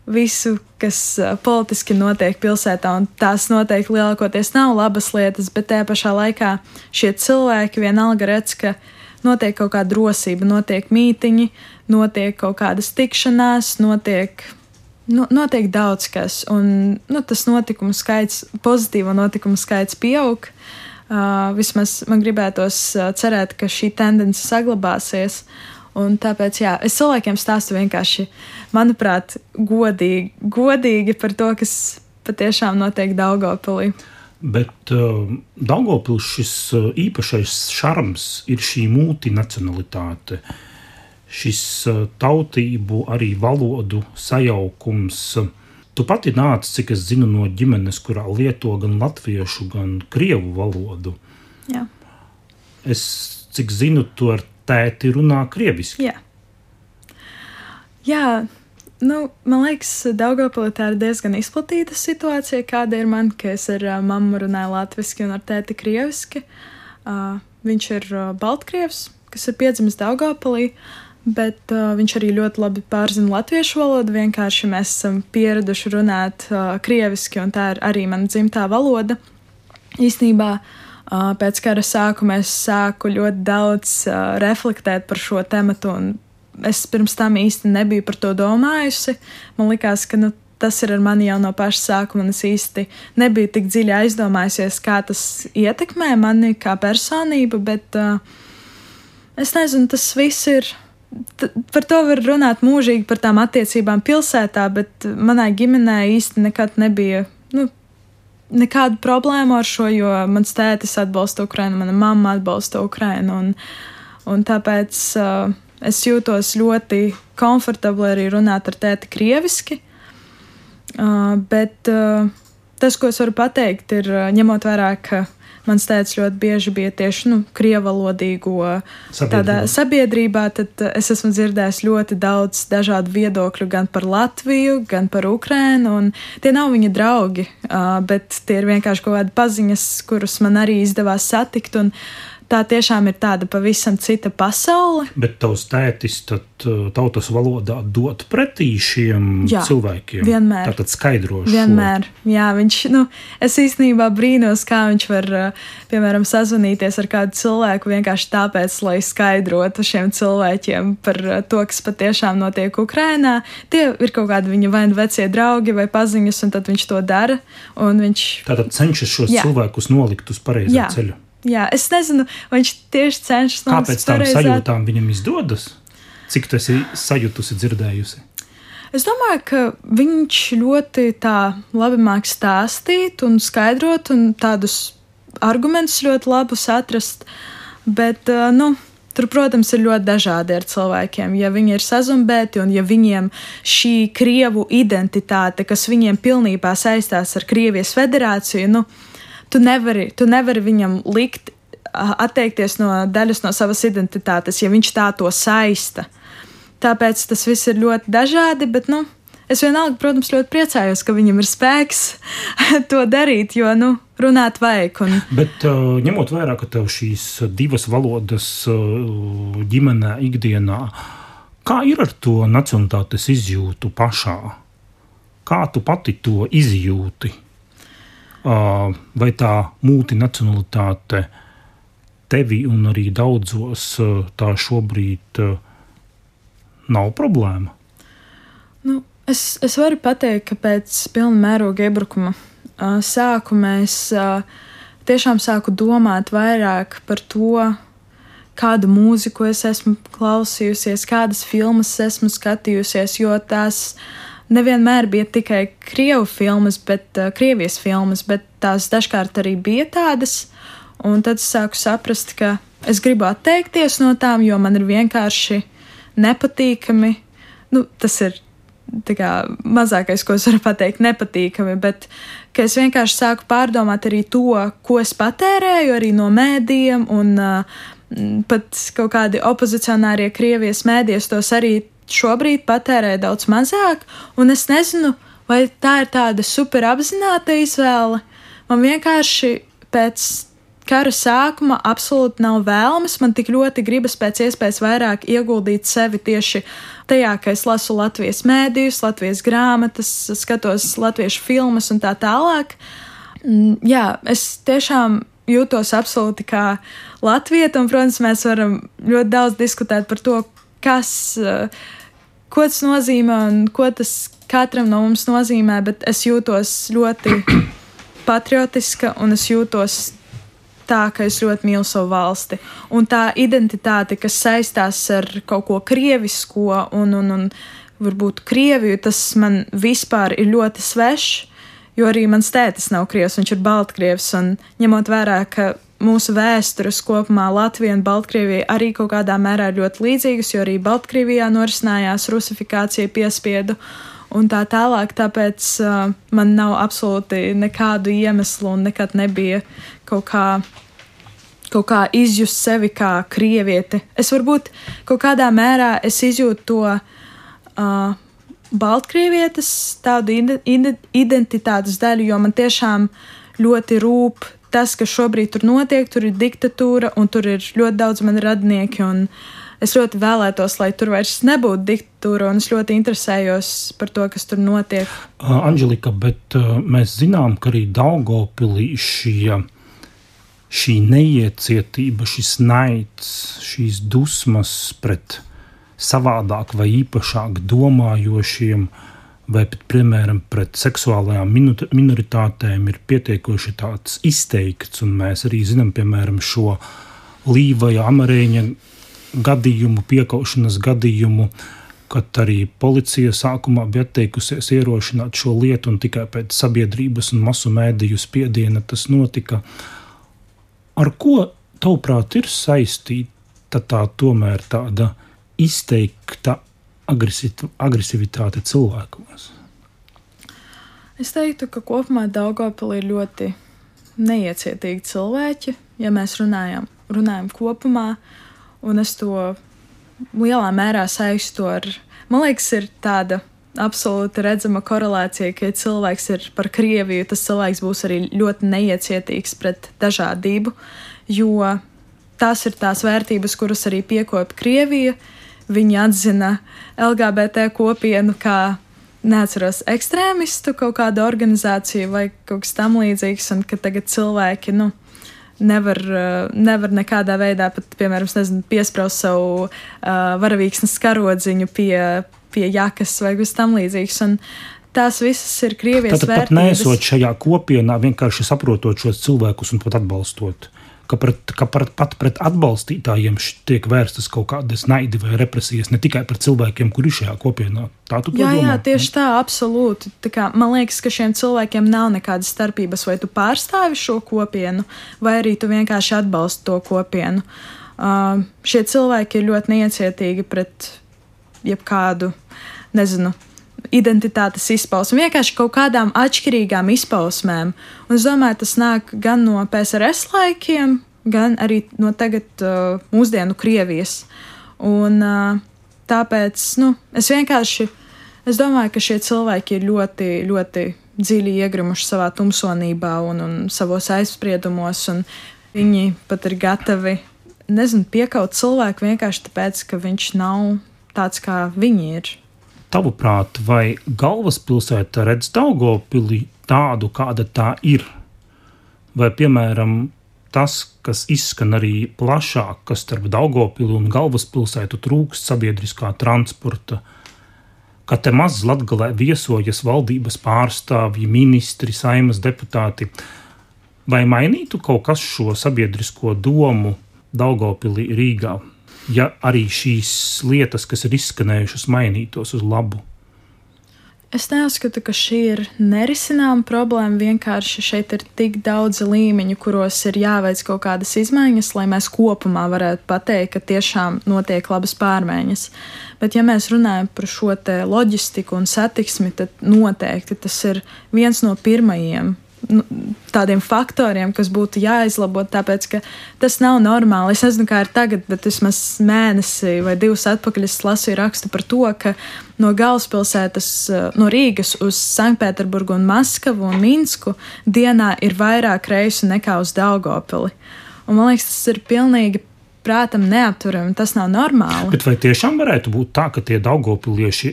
visu, kas uh, politiski notiek pilsētā, un tās noteikti lielākoties nav labas lietas, bet tajā pašā laikā šie cilvēki vienalga redz, ka notiek kaut kāda drosība, notiek mītiņi, notiek kaut kādas tikšanās, notiek. Nu, notiek daudz kas, un nu, tas notikumu skaits, pozitīvo notikumu skaits pieaug. Uh, vismaz man gribētos uh, cerēt, ka šī tendence saglabāsies. Un tāpēc, jā, es cilvēkiem stāstu vienkārši, manuprāt, godīgi, godīgi par to, kas patiešām notiek Daugavpilī. Bet uh, Daugavpils šis uh, īpašais šarms ir šī multinacionalitāte, šis uh, tautību, arī valodu sajaukums. Tu pati nāc, cik es zinu, no ģimenes, kurā lieto gan latviešu, gan krievu valodu. Jā. Es, cik zinu, tu ar tēti runā krieviski. Jā. Jā. Nu, man liekas, Daugavpilī tā ir diezgan izplatīta situācija, kāda ir man, ka es ar uh, mammu runāju latviski un ar tēti krieviski. Uh, viņš ir uh, baltkrievs, kas ir piedzimis Daugavpilī, bet uh, viņš arī ļoti labi pārzina latviešu valodu. Vienkārši mēs esam pieraduši runāt uh, krieviski, un tā ir arī mana dzimtā valoda. Īstenībā uh, pēc kara sākuma es sāku ļoti daudz uh, reflektēt par šo tematu, un es pirms tam īsti nebiju par to domājusi. Man likās, ka nu, tas ir ar mani jau no paša sākuma, un es īsti nebiju tik dziļi aizdomājusies, kā tas ietekmē mani kā personību, bet uh, es nezinu, tas viss ir, t- par to var runāt mūžīgi par tām attiecībām pilsētā, bet manai ģimenē īsti nekad nebija, nu, nekādu problēmu ar šo, jo mans tētis atbalsta Ukrainu, mana mamma atbalsta Ukrainu, un, un tāpēc uh, es jūtos ļoti komfortabli arī runāt ar tēti krieviski, uh, bet uh, tas, ko es varu pateikt, ir uh, ņemot vērā, ka mans tētis ļoti bieži bija tieši nu, krievalodīgo tādā sabiedrībā, tad uh, es esmu dzirdējis ļoti daudz dažādu viedokļu gan par Latviju, gan par Ukrainu, un tie nav viņa draugi, uh, bet tie ir vienkārši kaut kādi paziņas, kurus man arī izdevās satikt, un tā tiešām ir tāda pavisam cita pasaule. Bet tavs tētis tad tautas valodā dot pretī šiem Jā, cilvēkiem? Vienmēr. Tātad skaidro šo? Vienmēr. Jā, viņš, nu, es īstenībā brīnos, kā viņš var, piemēram, sazvanīties ar kādu cilvēku vienkārši tāpēc, lai skaidrotu šiem cilvēkiem par to, kas patiešām notiek Ukrainā. Tie ir kaut kādi viņa vai vecie draugi vai paziņas, un tad viņš to dara. Un viņš... Tātad cenšas šos Jā. cilvēkus nolikt uz pareizā Jā. ceļu? Jā, es nezinu, vai viņš tieši cenšas nolikt Kāpēc tām pareizā... sajūtām viņam izdodas? Cik tu esi sajutusi, dzirdējusi? Es domāju, ka viņš ļoti tā labi māk stāstīt un skaidrot un tādus argumentus ļoti labus atrast, bet, nu, tur, protams, ir ļoti dažādi ar cilvēkiem. Ja viņi ir sazumbēti un ja viņiem šī Krievu identitāte, kas viņiem pilnībā saistās ar Krievijas federāciju, nu, tu nevari, tu nevari viņam likt atteikties no daļas no savas identitātes, ja viņš tā to saista. Tāpēc tas viss ir ļoti dažādi, bet, nu, es vienalga, protams, ļoti priecājos, ka viņam ir spēks to darīt, jo, nu, runāt vajag. Un... Bet ņemot vērā, ka tev šīs divas valodas ģimenē ikdienā, kā ir ar to nacionalitātes izjūtu pašā? Kā tu pati to izjūti? Vai tā multinacionalitāte tevi un arī daudzos tā šobrīd nav problēma? Nu, es, es varu pateikt, ka pēc pilna mēroga iebrukuma uh, sākuma es uh, tiešām sāku domāt vairāk par to, kādu mūziku es esmu klausījusies, kādas filmas esmu skatījusies, jo tās nevienmēr bija tikai krievu filmas, bet uh, krievijas filmas, bet tās dažkārt arī bija tādas, un tad es sāku saprast, ka es gribu atteikties no tām, jo man ir vienkārši nepatīkami, nu, tas ir tā kā mazākais, ko es varu pateikt, nepatīkami, bet ka es vienkārši sāku pārdomāt arī to, ko es patērēju arī no mēdījiem, un uh, pat kaut kādi opozicionārie Krievijas mēdījos tos arī šobrīd patērē daudz mazāk, un es nezinu, vai tā ir tāda super apzināta izvēle. Man vienkārši pēc kara sākuma absolūti nav vēlmes, man tik ļoti gribas pēc iespējas vairāk ieguldīt sevi tieši tajā, ka es lasu Latvijas mēdījus, Latvijas grāmatas, skatos latviešu filmas un tā tālāk. Jā, es tiešām jūtos absolūti kā latvieta, un, protams, mēs varam ļoti daudz diskutēt par to, kas, ko tas nozīmē un ko tas katram no mums nozīmē, bet es jūtos ļoti patriotiska un es jūtos tā, ka es ļoti mīlu savu valsti. Un tā identitāte, kas saistās ar kaut ko krievisko un, un, un varbūt Krieviju, tas man vispār ir ļoti svešs, jo arī mans tētis nav krievs, viņš ir baltkrievs, un ņemot vērā, ka mūsu vēstures kopumā Latvija un Baltkrievija arī kaut kādā mērā ir ļoti līdzīgas, jo arī Baltkrievijā norisinājās rusifikācija, piespiedu un tā tālāk, tāpēc uh, man nav absolūti nekādu iemeslu un nekad nebija kaut kā, kaut kā izjust sevi kā krievieti. Es varbūt kaut kādā mērā es izjūtu to uh, Baltkrievietes tādu identitātes daļu, jo man tiešām ļoti rūp tas, kas šobrīd tur notiek, tur ir diktatūra un tur ir ļoti daudz mani radinieki un es ļoti vēlētos, lai tur vairs nebūtu diktatūra un es ļoti interesējos par to, kas tur notiek. Uh, Anželika, bet uh, mēs zinām, ka arī Daugavpilī šī, šī neiecietība, šis naids, šīs dusmas pret savādāk vai īpašāk domājošiem vai pat, piemēram, pret seksuālajām minoritātēm ir pietiekoši tāds izteikts, un mēs arī zinām, piemēram, šo Līvaja Amarēņa gadījumu, piekaušanas gadījumu, kad arī policija sākumā bija atteikusies ierošināt šo lietu, un tikai pēc sabiedrības un masu mēdīju spiediena tas notika. Ar ko, tavuprāt, ir saistīta tā tomēr tāda izteikta agresivitāte cilvēkos? Es teiktu, ka kopumā Daugavpilī ir ļoti neiecietīgi cilvēki, ja mēs runājam, runājam kopumā, un es to lielā mērā saistu ar, man liekas, ir tāda absolūti redzama korelācija, ka ja cilvēks ir par Krieviju, tas cilvēks būs arī ļoti neiecietīgs pret dažādību, jo tās ir tās vērtības, kuras arī piekopja Krievija. Viņi atzina L G B T kopienu kā, neatceros, ekstrēmistu kaut kādu organizāciju vai kaut kas tam līdzīgs, un ka tagad cilvēki, nu, nevar, nevar nekādā veidā pat, piemēram, nezinu, piespraust savu uh, varavīksnes karodziņu pie, pie jakas vai kas tam līdzīgs, un tās visas ir Krievijas Tātad vērtības. Tātad pat neesot šajā kopienā, vienkārši saprotot šos cilvēkus un pat atbalstot. Ka, pret, ka pret, pat pret atbalstītājiem tiek vērstas kaut kādas naidi vai represijas, ne tikai pret cilvēkiem, kuri šajā kopienā. Tā tu to jā, domā? Jā, tieši tā, absolūti. Tā kā, man liekas, ka šiem cilvēkiem nav nekādas starpības, vai tu pārstāvi šo kopienu, vai arī tu vienkārši atbalsti to kopienu. Uh, šie cilvēki ir ļoti neiecietīgi pret jebkādu, nezinu, identitātes izpausmi, vienkārši kaut kādām atšķirīgām izpausmēm. Un es domāju, tas nāk gan no P S R S laikiem, gan arī no tagad uh, mūsdienu Krievijas. Un uh, tāpēc, nu, es vienkārši, es domāju, ka šie cilvēki ir ļoti, ļoti dziļi iegrimuši savā tumsonībā un, un savos aizspriedumos, un viņi pat ir gatavi, nezinu, piekaut cilvēku vienkārši tāpēc, ka viņš nav tāds, kā viņi ir. Tavuprāt, vai galvaspilsēta redz Daugavpili tādu, kāda tā ir? Vai, piemēram, tas, kas izskan arī plašāk, kas starp Daugavpili un galvaspilsētu trūkst sabiedriskā transporta, ka te maz Latgalē viesojas valdības pārstāvji, ministri, Saeimas deputāti, vai mainītu kaut kas šo sabiedrisko domu Daugavpilī, Rīgā? Ja arī šīs lietas, kas ir izskanējušas, mainītos uz labu? Es neuzskatu, ka šī ir nerisināma problēma, vienkārši šeit ir tik daudz līmeņu, kuros ir jāveic kaut kādas izmaiņas, lai mēs kopumā varētu pateikt, ka tiešām notiek labas pārmaiņas. Bet ja mēs runājam par šo te loģistiku un satiksmi, tad noteikti tas ir viens no pirmajiem tādiem faktoriem, kas būtu jāizlabo, tāpēc, ka tas nav normāli. Es nezinu, kā ir tagad, bet vismaz mēnesi vai divus atpakaļ es lasīju rakstu par to, ka no galvaspilsētas, no Rīgas uz Sanktpēterburgu un Maskavu un Minsku dienā ir vairāk reisu nekā uz Daugavpili. Un man liekas, tas ir pilnīgi prātam neapturami, tas nav normāli. Bet vai tiešām varētu būt tā, ka tie daugavpilieši,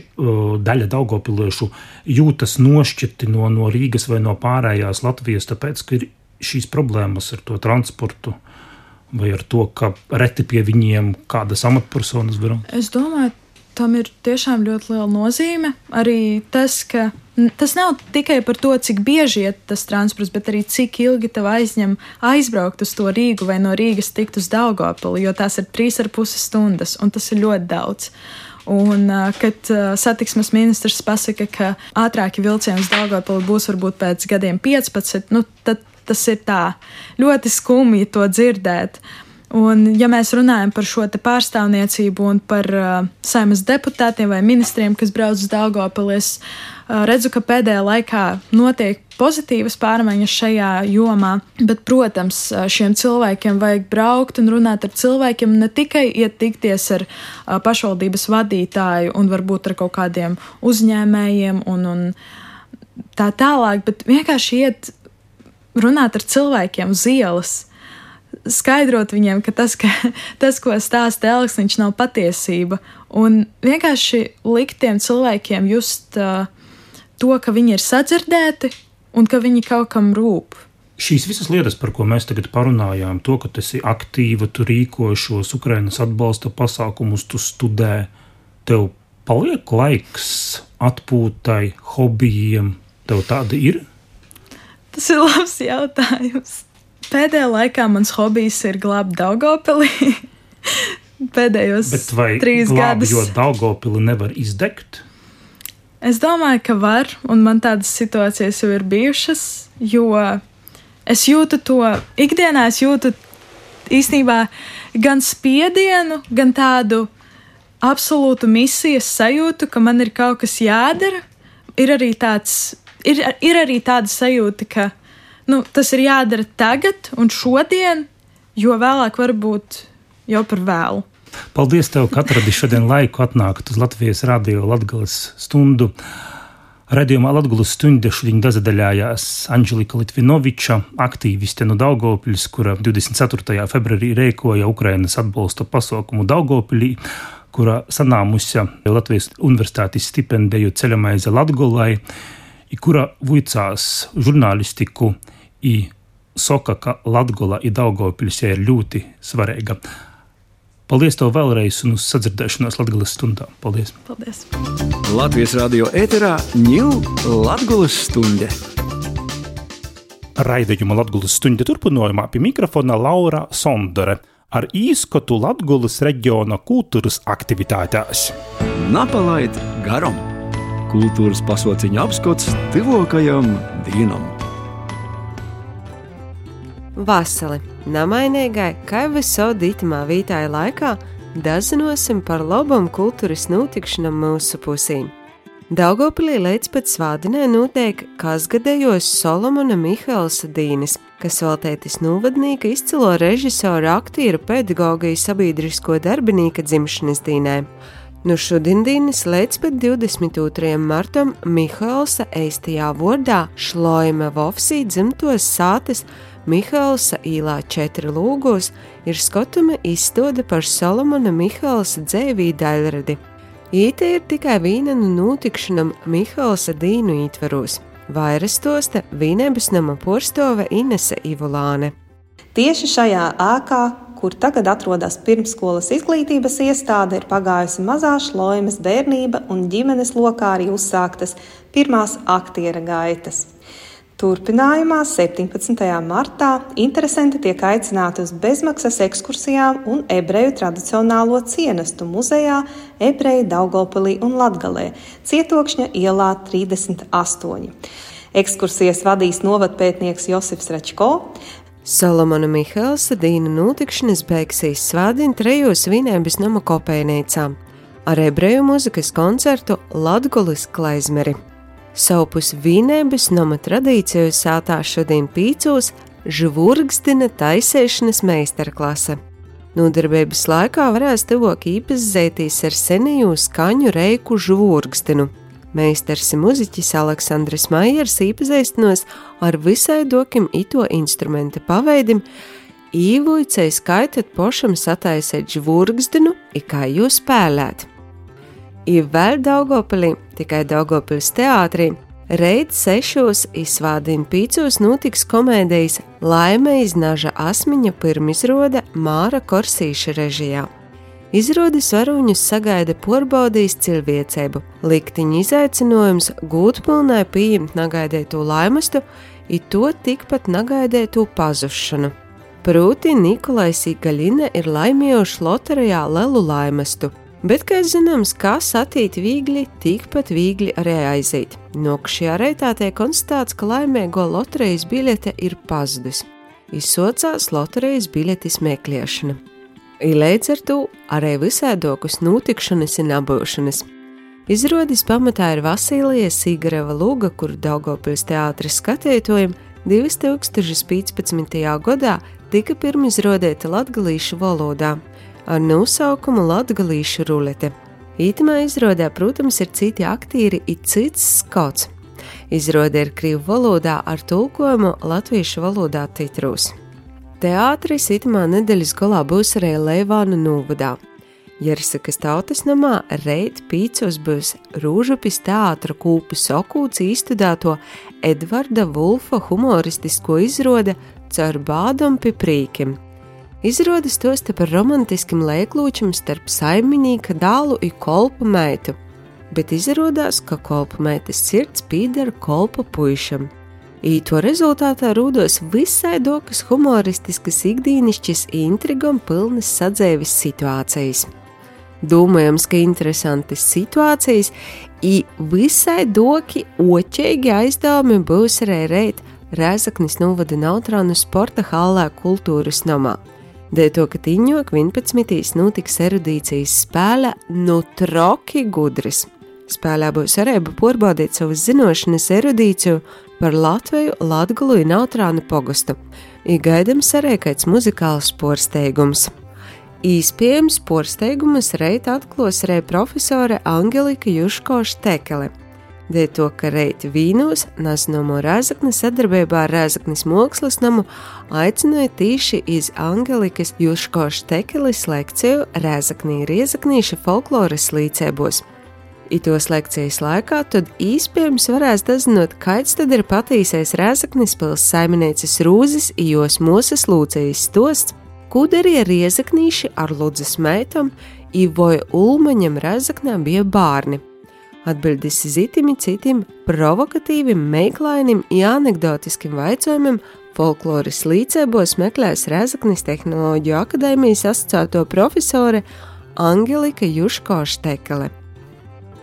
daļa daugavpiliešu jūtas nošķirti no, no Rīgas vai no pārējās Latvijas, tāpēc, ka ir šīs problēmas ar to transportu vai ar to, ka reti pie viņiem kādas amatpersonas var? Es domāju, tam ir tiešām ļoti liela nozīme. Arī tas, ka tas nav tikai par to, cik bieži iet tas transports, bet arī cik ilgi tev aizņem aizbraukt uz to Rīgu vai no Rīgas tikt uz Daugavpili, jo tās ir trīs ar pusi stundas, un tas ir ļoti daudz. Un, kad satiksmes ministrs pasaka, ka ātrāki vilcieni uz Daugavpili būs varbūt pēc gadiem piecpadsmit, nu, tad tas ir tā ļoti skumji to dzirdēt. Un, ja mēs runājam par šo te pārstāvniecību un par uh, Saeimas deputātiem vai ministriem, kas brauc uz Daugavpili, es uh, redzu, ka pēdējā laikā notiek pozitīvas pārmaiņas šajā jomā, bet, protams, šiem cilvēkiem vajag braukt un runāt ar cilvēkiem, ne tikai iet tikties ar uh, pašvaldības vadītāju un varbūt ar kaut kādiem uzņēmējiem un, un tā tālāk, bet vienkārši iet runāt ar cilvēkiem uz ielas, skaidrot viņiem, ka tas, ka, tas ko stāsta Elksniņš, nav patiesība, un vienkārši likt tiem cilvēkiem just uh, to, ka viņi ir sadzirdēti un ka viņi kaut kam rūp. Šīs visas lietas, par ko mēs tagad parunājām, to, ka tu esi aktīva, tu rīkoji šos Ukrainas atbalsta pasākumus, tu studē, tev paliek laiks atpūtai, hobijiem, tev tāda ir? Tas ir labs jautājums. Pēdējā laikā mans hobijs ir glābt Daugavpili. Pēdējos trīs gadus. Jo Daugavpili nevar izdegt? Es domāju, ka var, un man tādas situācijas jau ir bijušas, jo es jūtu to, ikdienā es jūtu īstenībā gan spiedienu, gan tādu absolūtu misijas sajūtu, ka man ir kaut kas jādara. Ir arī tāds, ir, ir arī tāda sajūta, ka nu, tas ir jādara tagad un šodien, jo vēlāk varbūt jau par vēlu. Paldies tev, ka atradi šodien laiku atnākt uz Latvijas radio Latgales stundu. Radījumā Latgales stunde šodien dazadaļājās Anželika Litvinoviča, aktīviste no Daugavpils, kura divdesmit ceturtajā februārī rēkoja Ukrainas atbalsta pasaukumu Daugavpilī, kura sanāmusi Latvijas universitātes stipendiju Ceļamaize Latgolai, i kura vuicās žurnālistiku i soka, ka Latgola i Daugavpils ir ļoti svarīga. Paldies tev vēlreiz un uz sadzirdēšanos Latgales stundā. Paldies. Paldies. Latvijas radio ēterā Ņū Latgales stunde. Raidījuma Latgales stunde turpinājumā pie mikrofona Laura Sondore ar īskotu Latgales reģiona kultūras aktivitātēs. Napalaid garam. Kultūras pasauciņa apskots tuvākajam dienam. Vasali, namainīgai, kā visādi itamā vītāja laikā, dazinosim par labam kultūras notikšanam mūsu pusīm. Daugavpilī līdz pat svādinē notiek kasgadējos Solomona Mihaelsa dīnis, kas veltētis novadnīka izcilo režisora, aktieru, pedagoga i sabiedrisko darbinīka dzimšanas dīnē. Nu šodien dīnis līdz pat divdesmit otrajam martam Mihaelsa eistajā vordā Šloime Vovsī dzimtos sātes Mihaelsa īlā četri lūgos ir skotuma izstāde par Solomona Mihaelsa dzēvī daļradi. Īte ir tikai vīna no notikšanam Mihaelsa dīnu ietvaros. Vairas stosta Vīnēbas nama porstove Inese Ivulāne. Tieši šajā ēkā, kur tagad atrodas pirmsskolas izglītības iestāde, ir pagājusi mazā Šloimes bērnība un ģimenes lokā arī uzsāktas pirmās aktiera gaitas. Turpinājumā septiņpadsmitajā martā interesanti tiek aicināti uz bezmaksas ekskursijām un ebreju tradicionālo cienestu muzejā Ebreji Daugavpilī un Latgalē, Cietokšņa ielā trīsdesmit astoņi. Ekskursijas vadīs novadpētnieks Josifs Račko. Solomona Mihaelsa dīna notikšanas beigsies svādien trejos Vīnēbas nama kopejnīcā ar ebreju muzikas koncertu Latgolis Klaizmeri. Savpus Vīnēbas nama tradīciju sātā šodien pīcos žvurgzdina taisēšanas meistarklase. Nodarbības laikā varēs tuvāk īpazīties ar seniju skaņu reiku žvurgzdinu. Meistars i muziķis Aleksandrs Maiers īpazīstinos ar visai dokim ito instrumenta paveidim, īvuicei skaitot pošam sataisēt žvurgzdinu i kā jūs spēlēt. I vēl Daugavpilī, tikai Daugavpils teātrī, reit sešos izsvādien pīcos notiks komēdijas Laime iz naža asmiņa pirmizrode Māra Korsīša režijā. Izrādes varoņus sagaida porbaudījis cilvēcību, liktiņa izaicinājums gūt pilnai pieņemt nagaidēto laimestu, i to tikpat nagaidēto pazušanu. Prūti Nikolais i Gaļina ir laimējuši loterijā lelu laimestu, bet, kā zināms, kas atīt vīgli, tikpat vīgli arī aizīt. Nokušajā reitā tiek konstatēts, ka laimēgo loterijas biļete ir pazudus. Izsocās loterijas biļetes meklēšana. I līdz ar to arī visādokus notikšanas un abūšanas. Izrādes pamatā ir Vasilija Sigareva lūga, kuru Daugavpils teātris skatītojiem divi tūkstoši piecpadsmitajā gadā tika pirmizrādēta latgalīšu valodā ar nosaukumu Latgalīšu rulete. Ītamā izrādē, protams, ir citi aktīri i cits skauts. Izrāde ir krīvu valodā ar tulkojumu latviešu valodā titrūs. Teātris itamā nedēļas galā būs arī Leivānu novadā. Jersakas tautas namā reit pīcos būs Rūžupis teātra kūpu Sokūts īstudēto Edvarda Vulfa humoristisko izrāde Caur bādom pi prīkim. Izrāde stosta par romantiskim leiklūčam starp saiminīka dālu i kolpa meitu, bet izrādās, ka kolpa meitas sirds pīdara kolpa puišam. I to rezultātā rūdos visai dokas humoristiskas ikdīnišķis intrigom pilnas sadzēvis situācijas. Domājams, ka interesantas situācijas i visai doki oķeigi aizdevumi būs arī reit Rēzaknis novada Nautrānu sporta hallē kultūras namā. Dēļ to, ka tiņok vienpadsmitīs notiks erudīcijas spēle nu troki gudris. Spēlē būs arī porbaudīt savas zinošanas erudīciju par Latviju, Latgulu un Nautrānu pogostu. I gaidams arī kāds muzikāls porsteigums. Īspējams porsteigumus reit atklās arī profesore Angelika Juško-Štekele. Dēļ to, ka reit vīnos Naznomo Rēzakni sadarbībā ar Rēzaknis mākslas namu aicināja tīši iz Angelikas Juško-Štekeles lekciju Rēzaknī Riezaknīša folkloras līdzēbos. I tos lekcijas laikā tad īspējams varēs dazinot, kāds tad ir patīsais Rēzaknis pils saimnieces Rūzes i jos mosas Lūcijas stosts, ko darīja Riezaknīši ar Ludzas meitam i vai Ulmaņam Rēzaknā bija bārni. Atbildes iz itimi citim provokatīvim, meiklainim i anekdotiskim vaicojumiem folkloras līdzēbos meklēs Rēzaknis Tehnoloģiju akadēmijas asociēto profesore Angelika Juško-Štekele.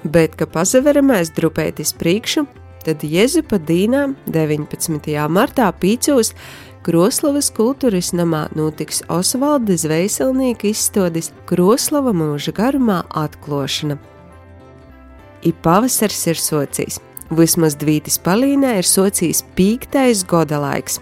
Bet, ka pazaveramais drupētis priekšu, tad Jezupa dīnām deviņpadsmitajā martā Pīcūs Kroslavas kultūras namā notiks Osvalda Zvejselnieka izstādes Kroslava mūža garumā atklošana. I pavasars ir socijas. Vismaz Dvītis Palīnē ir socijas pīktais goda laiks.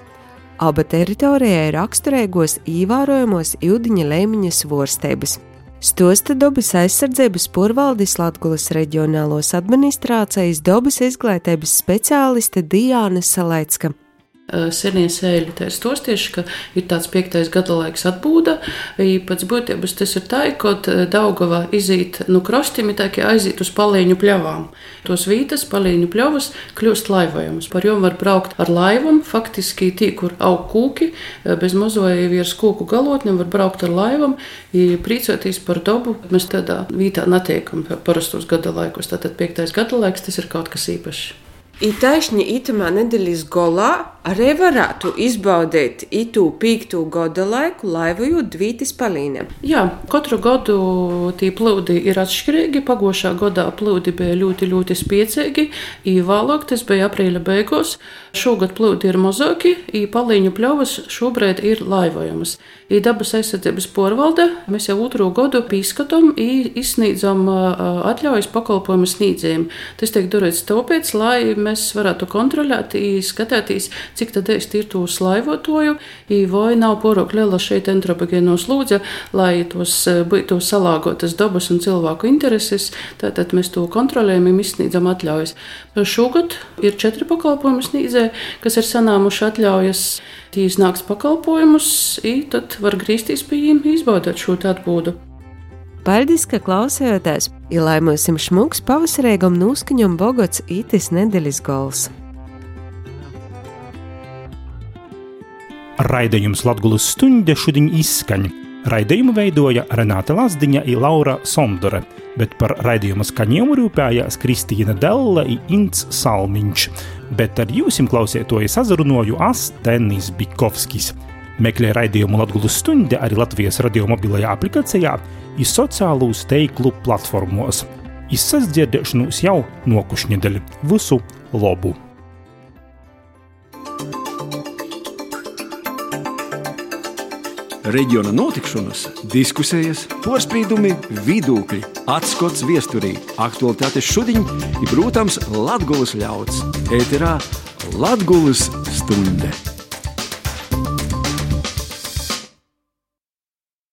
Aba teritorijai raksturīgos īvērojamos Ildiņa Leimiņas vorsteibas. Stosta dabas aizsardzības porvaldis Latgulas reģionālos administrācijas dabas izglītības speciāliste Diāna Salaicka. Senie sēļi tā ir stostieši, ka ir tāds piektais gada laiks atbūda. Pēc būtības tas ir tā, kad Daugava izīt no krostiem, tā kā aizīt uz palīņu pļavām. Tos vītas palīņu pļavas kļūst laivojums. Par jom var braukt ar laivam, faktiski tī, kur aug kūki, bez mozoja virs kūku galotņiem var braukt ar laivam, prīcoties par dabu. Mēs tādā vītā netiekam parastos gada laikos, tātad piektais gada laiks, tas ir kaut kas īpašs. I taisni itamā nedēļas golā arī varētu izbaudīt itū pīktū gada laiku laivojot Dvītis Palīnē. Jā, katru gadu tī plūdi ir atšķirīgi. Pagošā gadā plūdi bija ļoti, ļoti spiecīgi, i vēlāk tas bija aprīļa beigos. Šogad plūdi ir mazāki, i palīņu pļavas šobrīd ir laivojamas. I dabas aizsardzības porvalde mēs jau otro gadu pīskatam i izsniedzam atļaujas pakalpojumu sniedzējiem. Tas tiek darīts tāpēc, lai mēs varētu kontrolēt i skatīties, cik tad ir tos laivotoju, i vai nav porok liela šeit antropogēno slūdze, lai tos būtu salāgotas dabas un cilvēku intereses, tātad mēs to kontrolējam un izsniedzam atļaujas. Šogad ir četri pakalpojumu sniedzēji, kas ir sanāmuši atļaujas. Tī iznāks pakalpojumus, i tad var grīsties pie viņiem izbaudot šo atbūdu. Paldies, ka klausījāties, ja laimosim šmuks pavasarīgam nūskaņam bogots itis nedēļas gols. Raidījums Latgulas stuņde šodien izskaņ. Raidījumu veidoja Renāte Lazdiņa i Laura Sondore, bet par raidījuma skaņojumu rūpējās Kristīna Della i Ints Salmiņš, bet ar jūsim klausētoju sazarunoju as Tenis Bikovskis. Meklē raidījumu Latgulas stunde arī Latvijas radio mobilajā aplikācijā i sociālūs teiklu platformos. Izsasdzirdēšanos jau nokušņedeļ. Visu lobu! Reģiona notikšanas, diskusējas, porspīdumi, vidūkļi, atskots viesturī, aktualitātes šudiņ i, protams, Latgulas ļauds. Ēterā Latgulas stunde.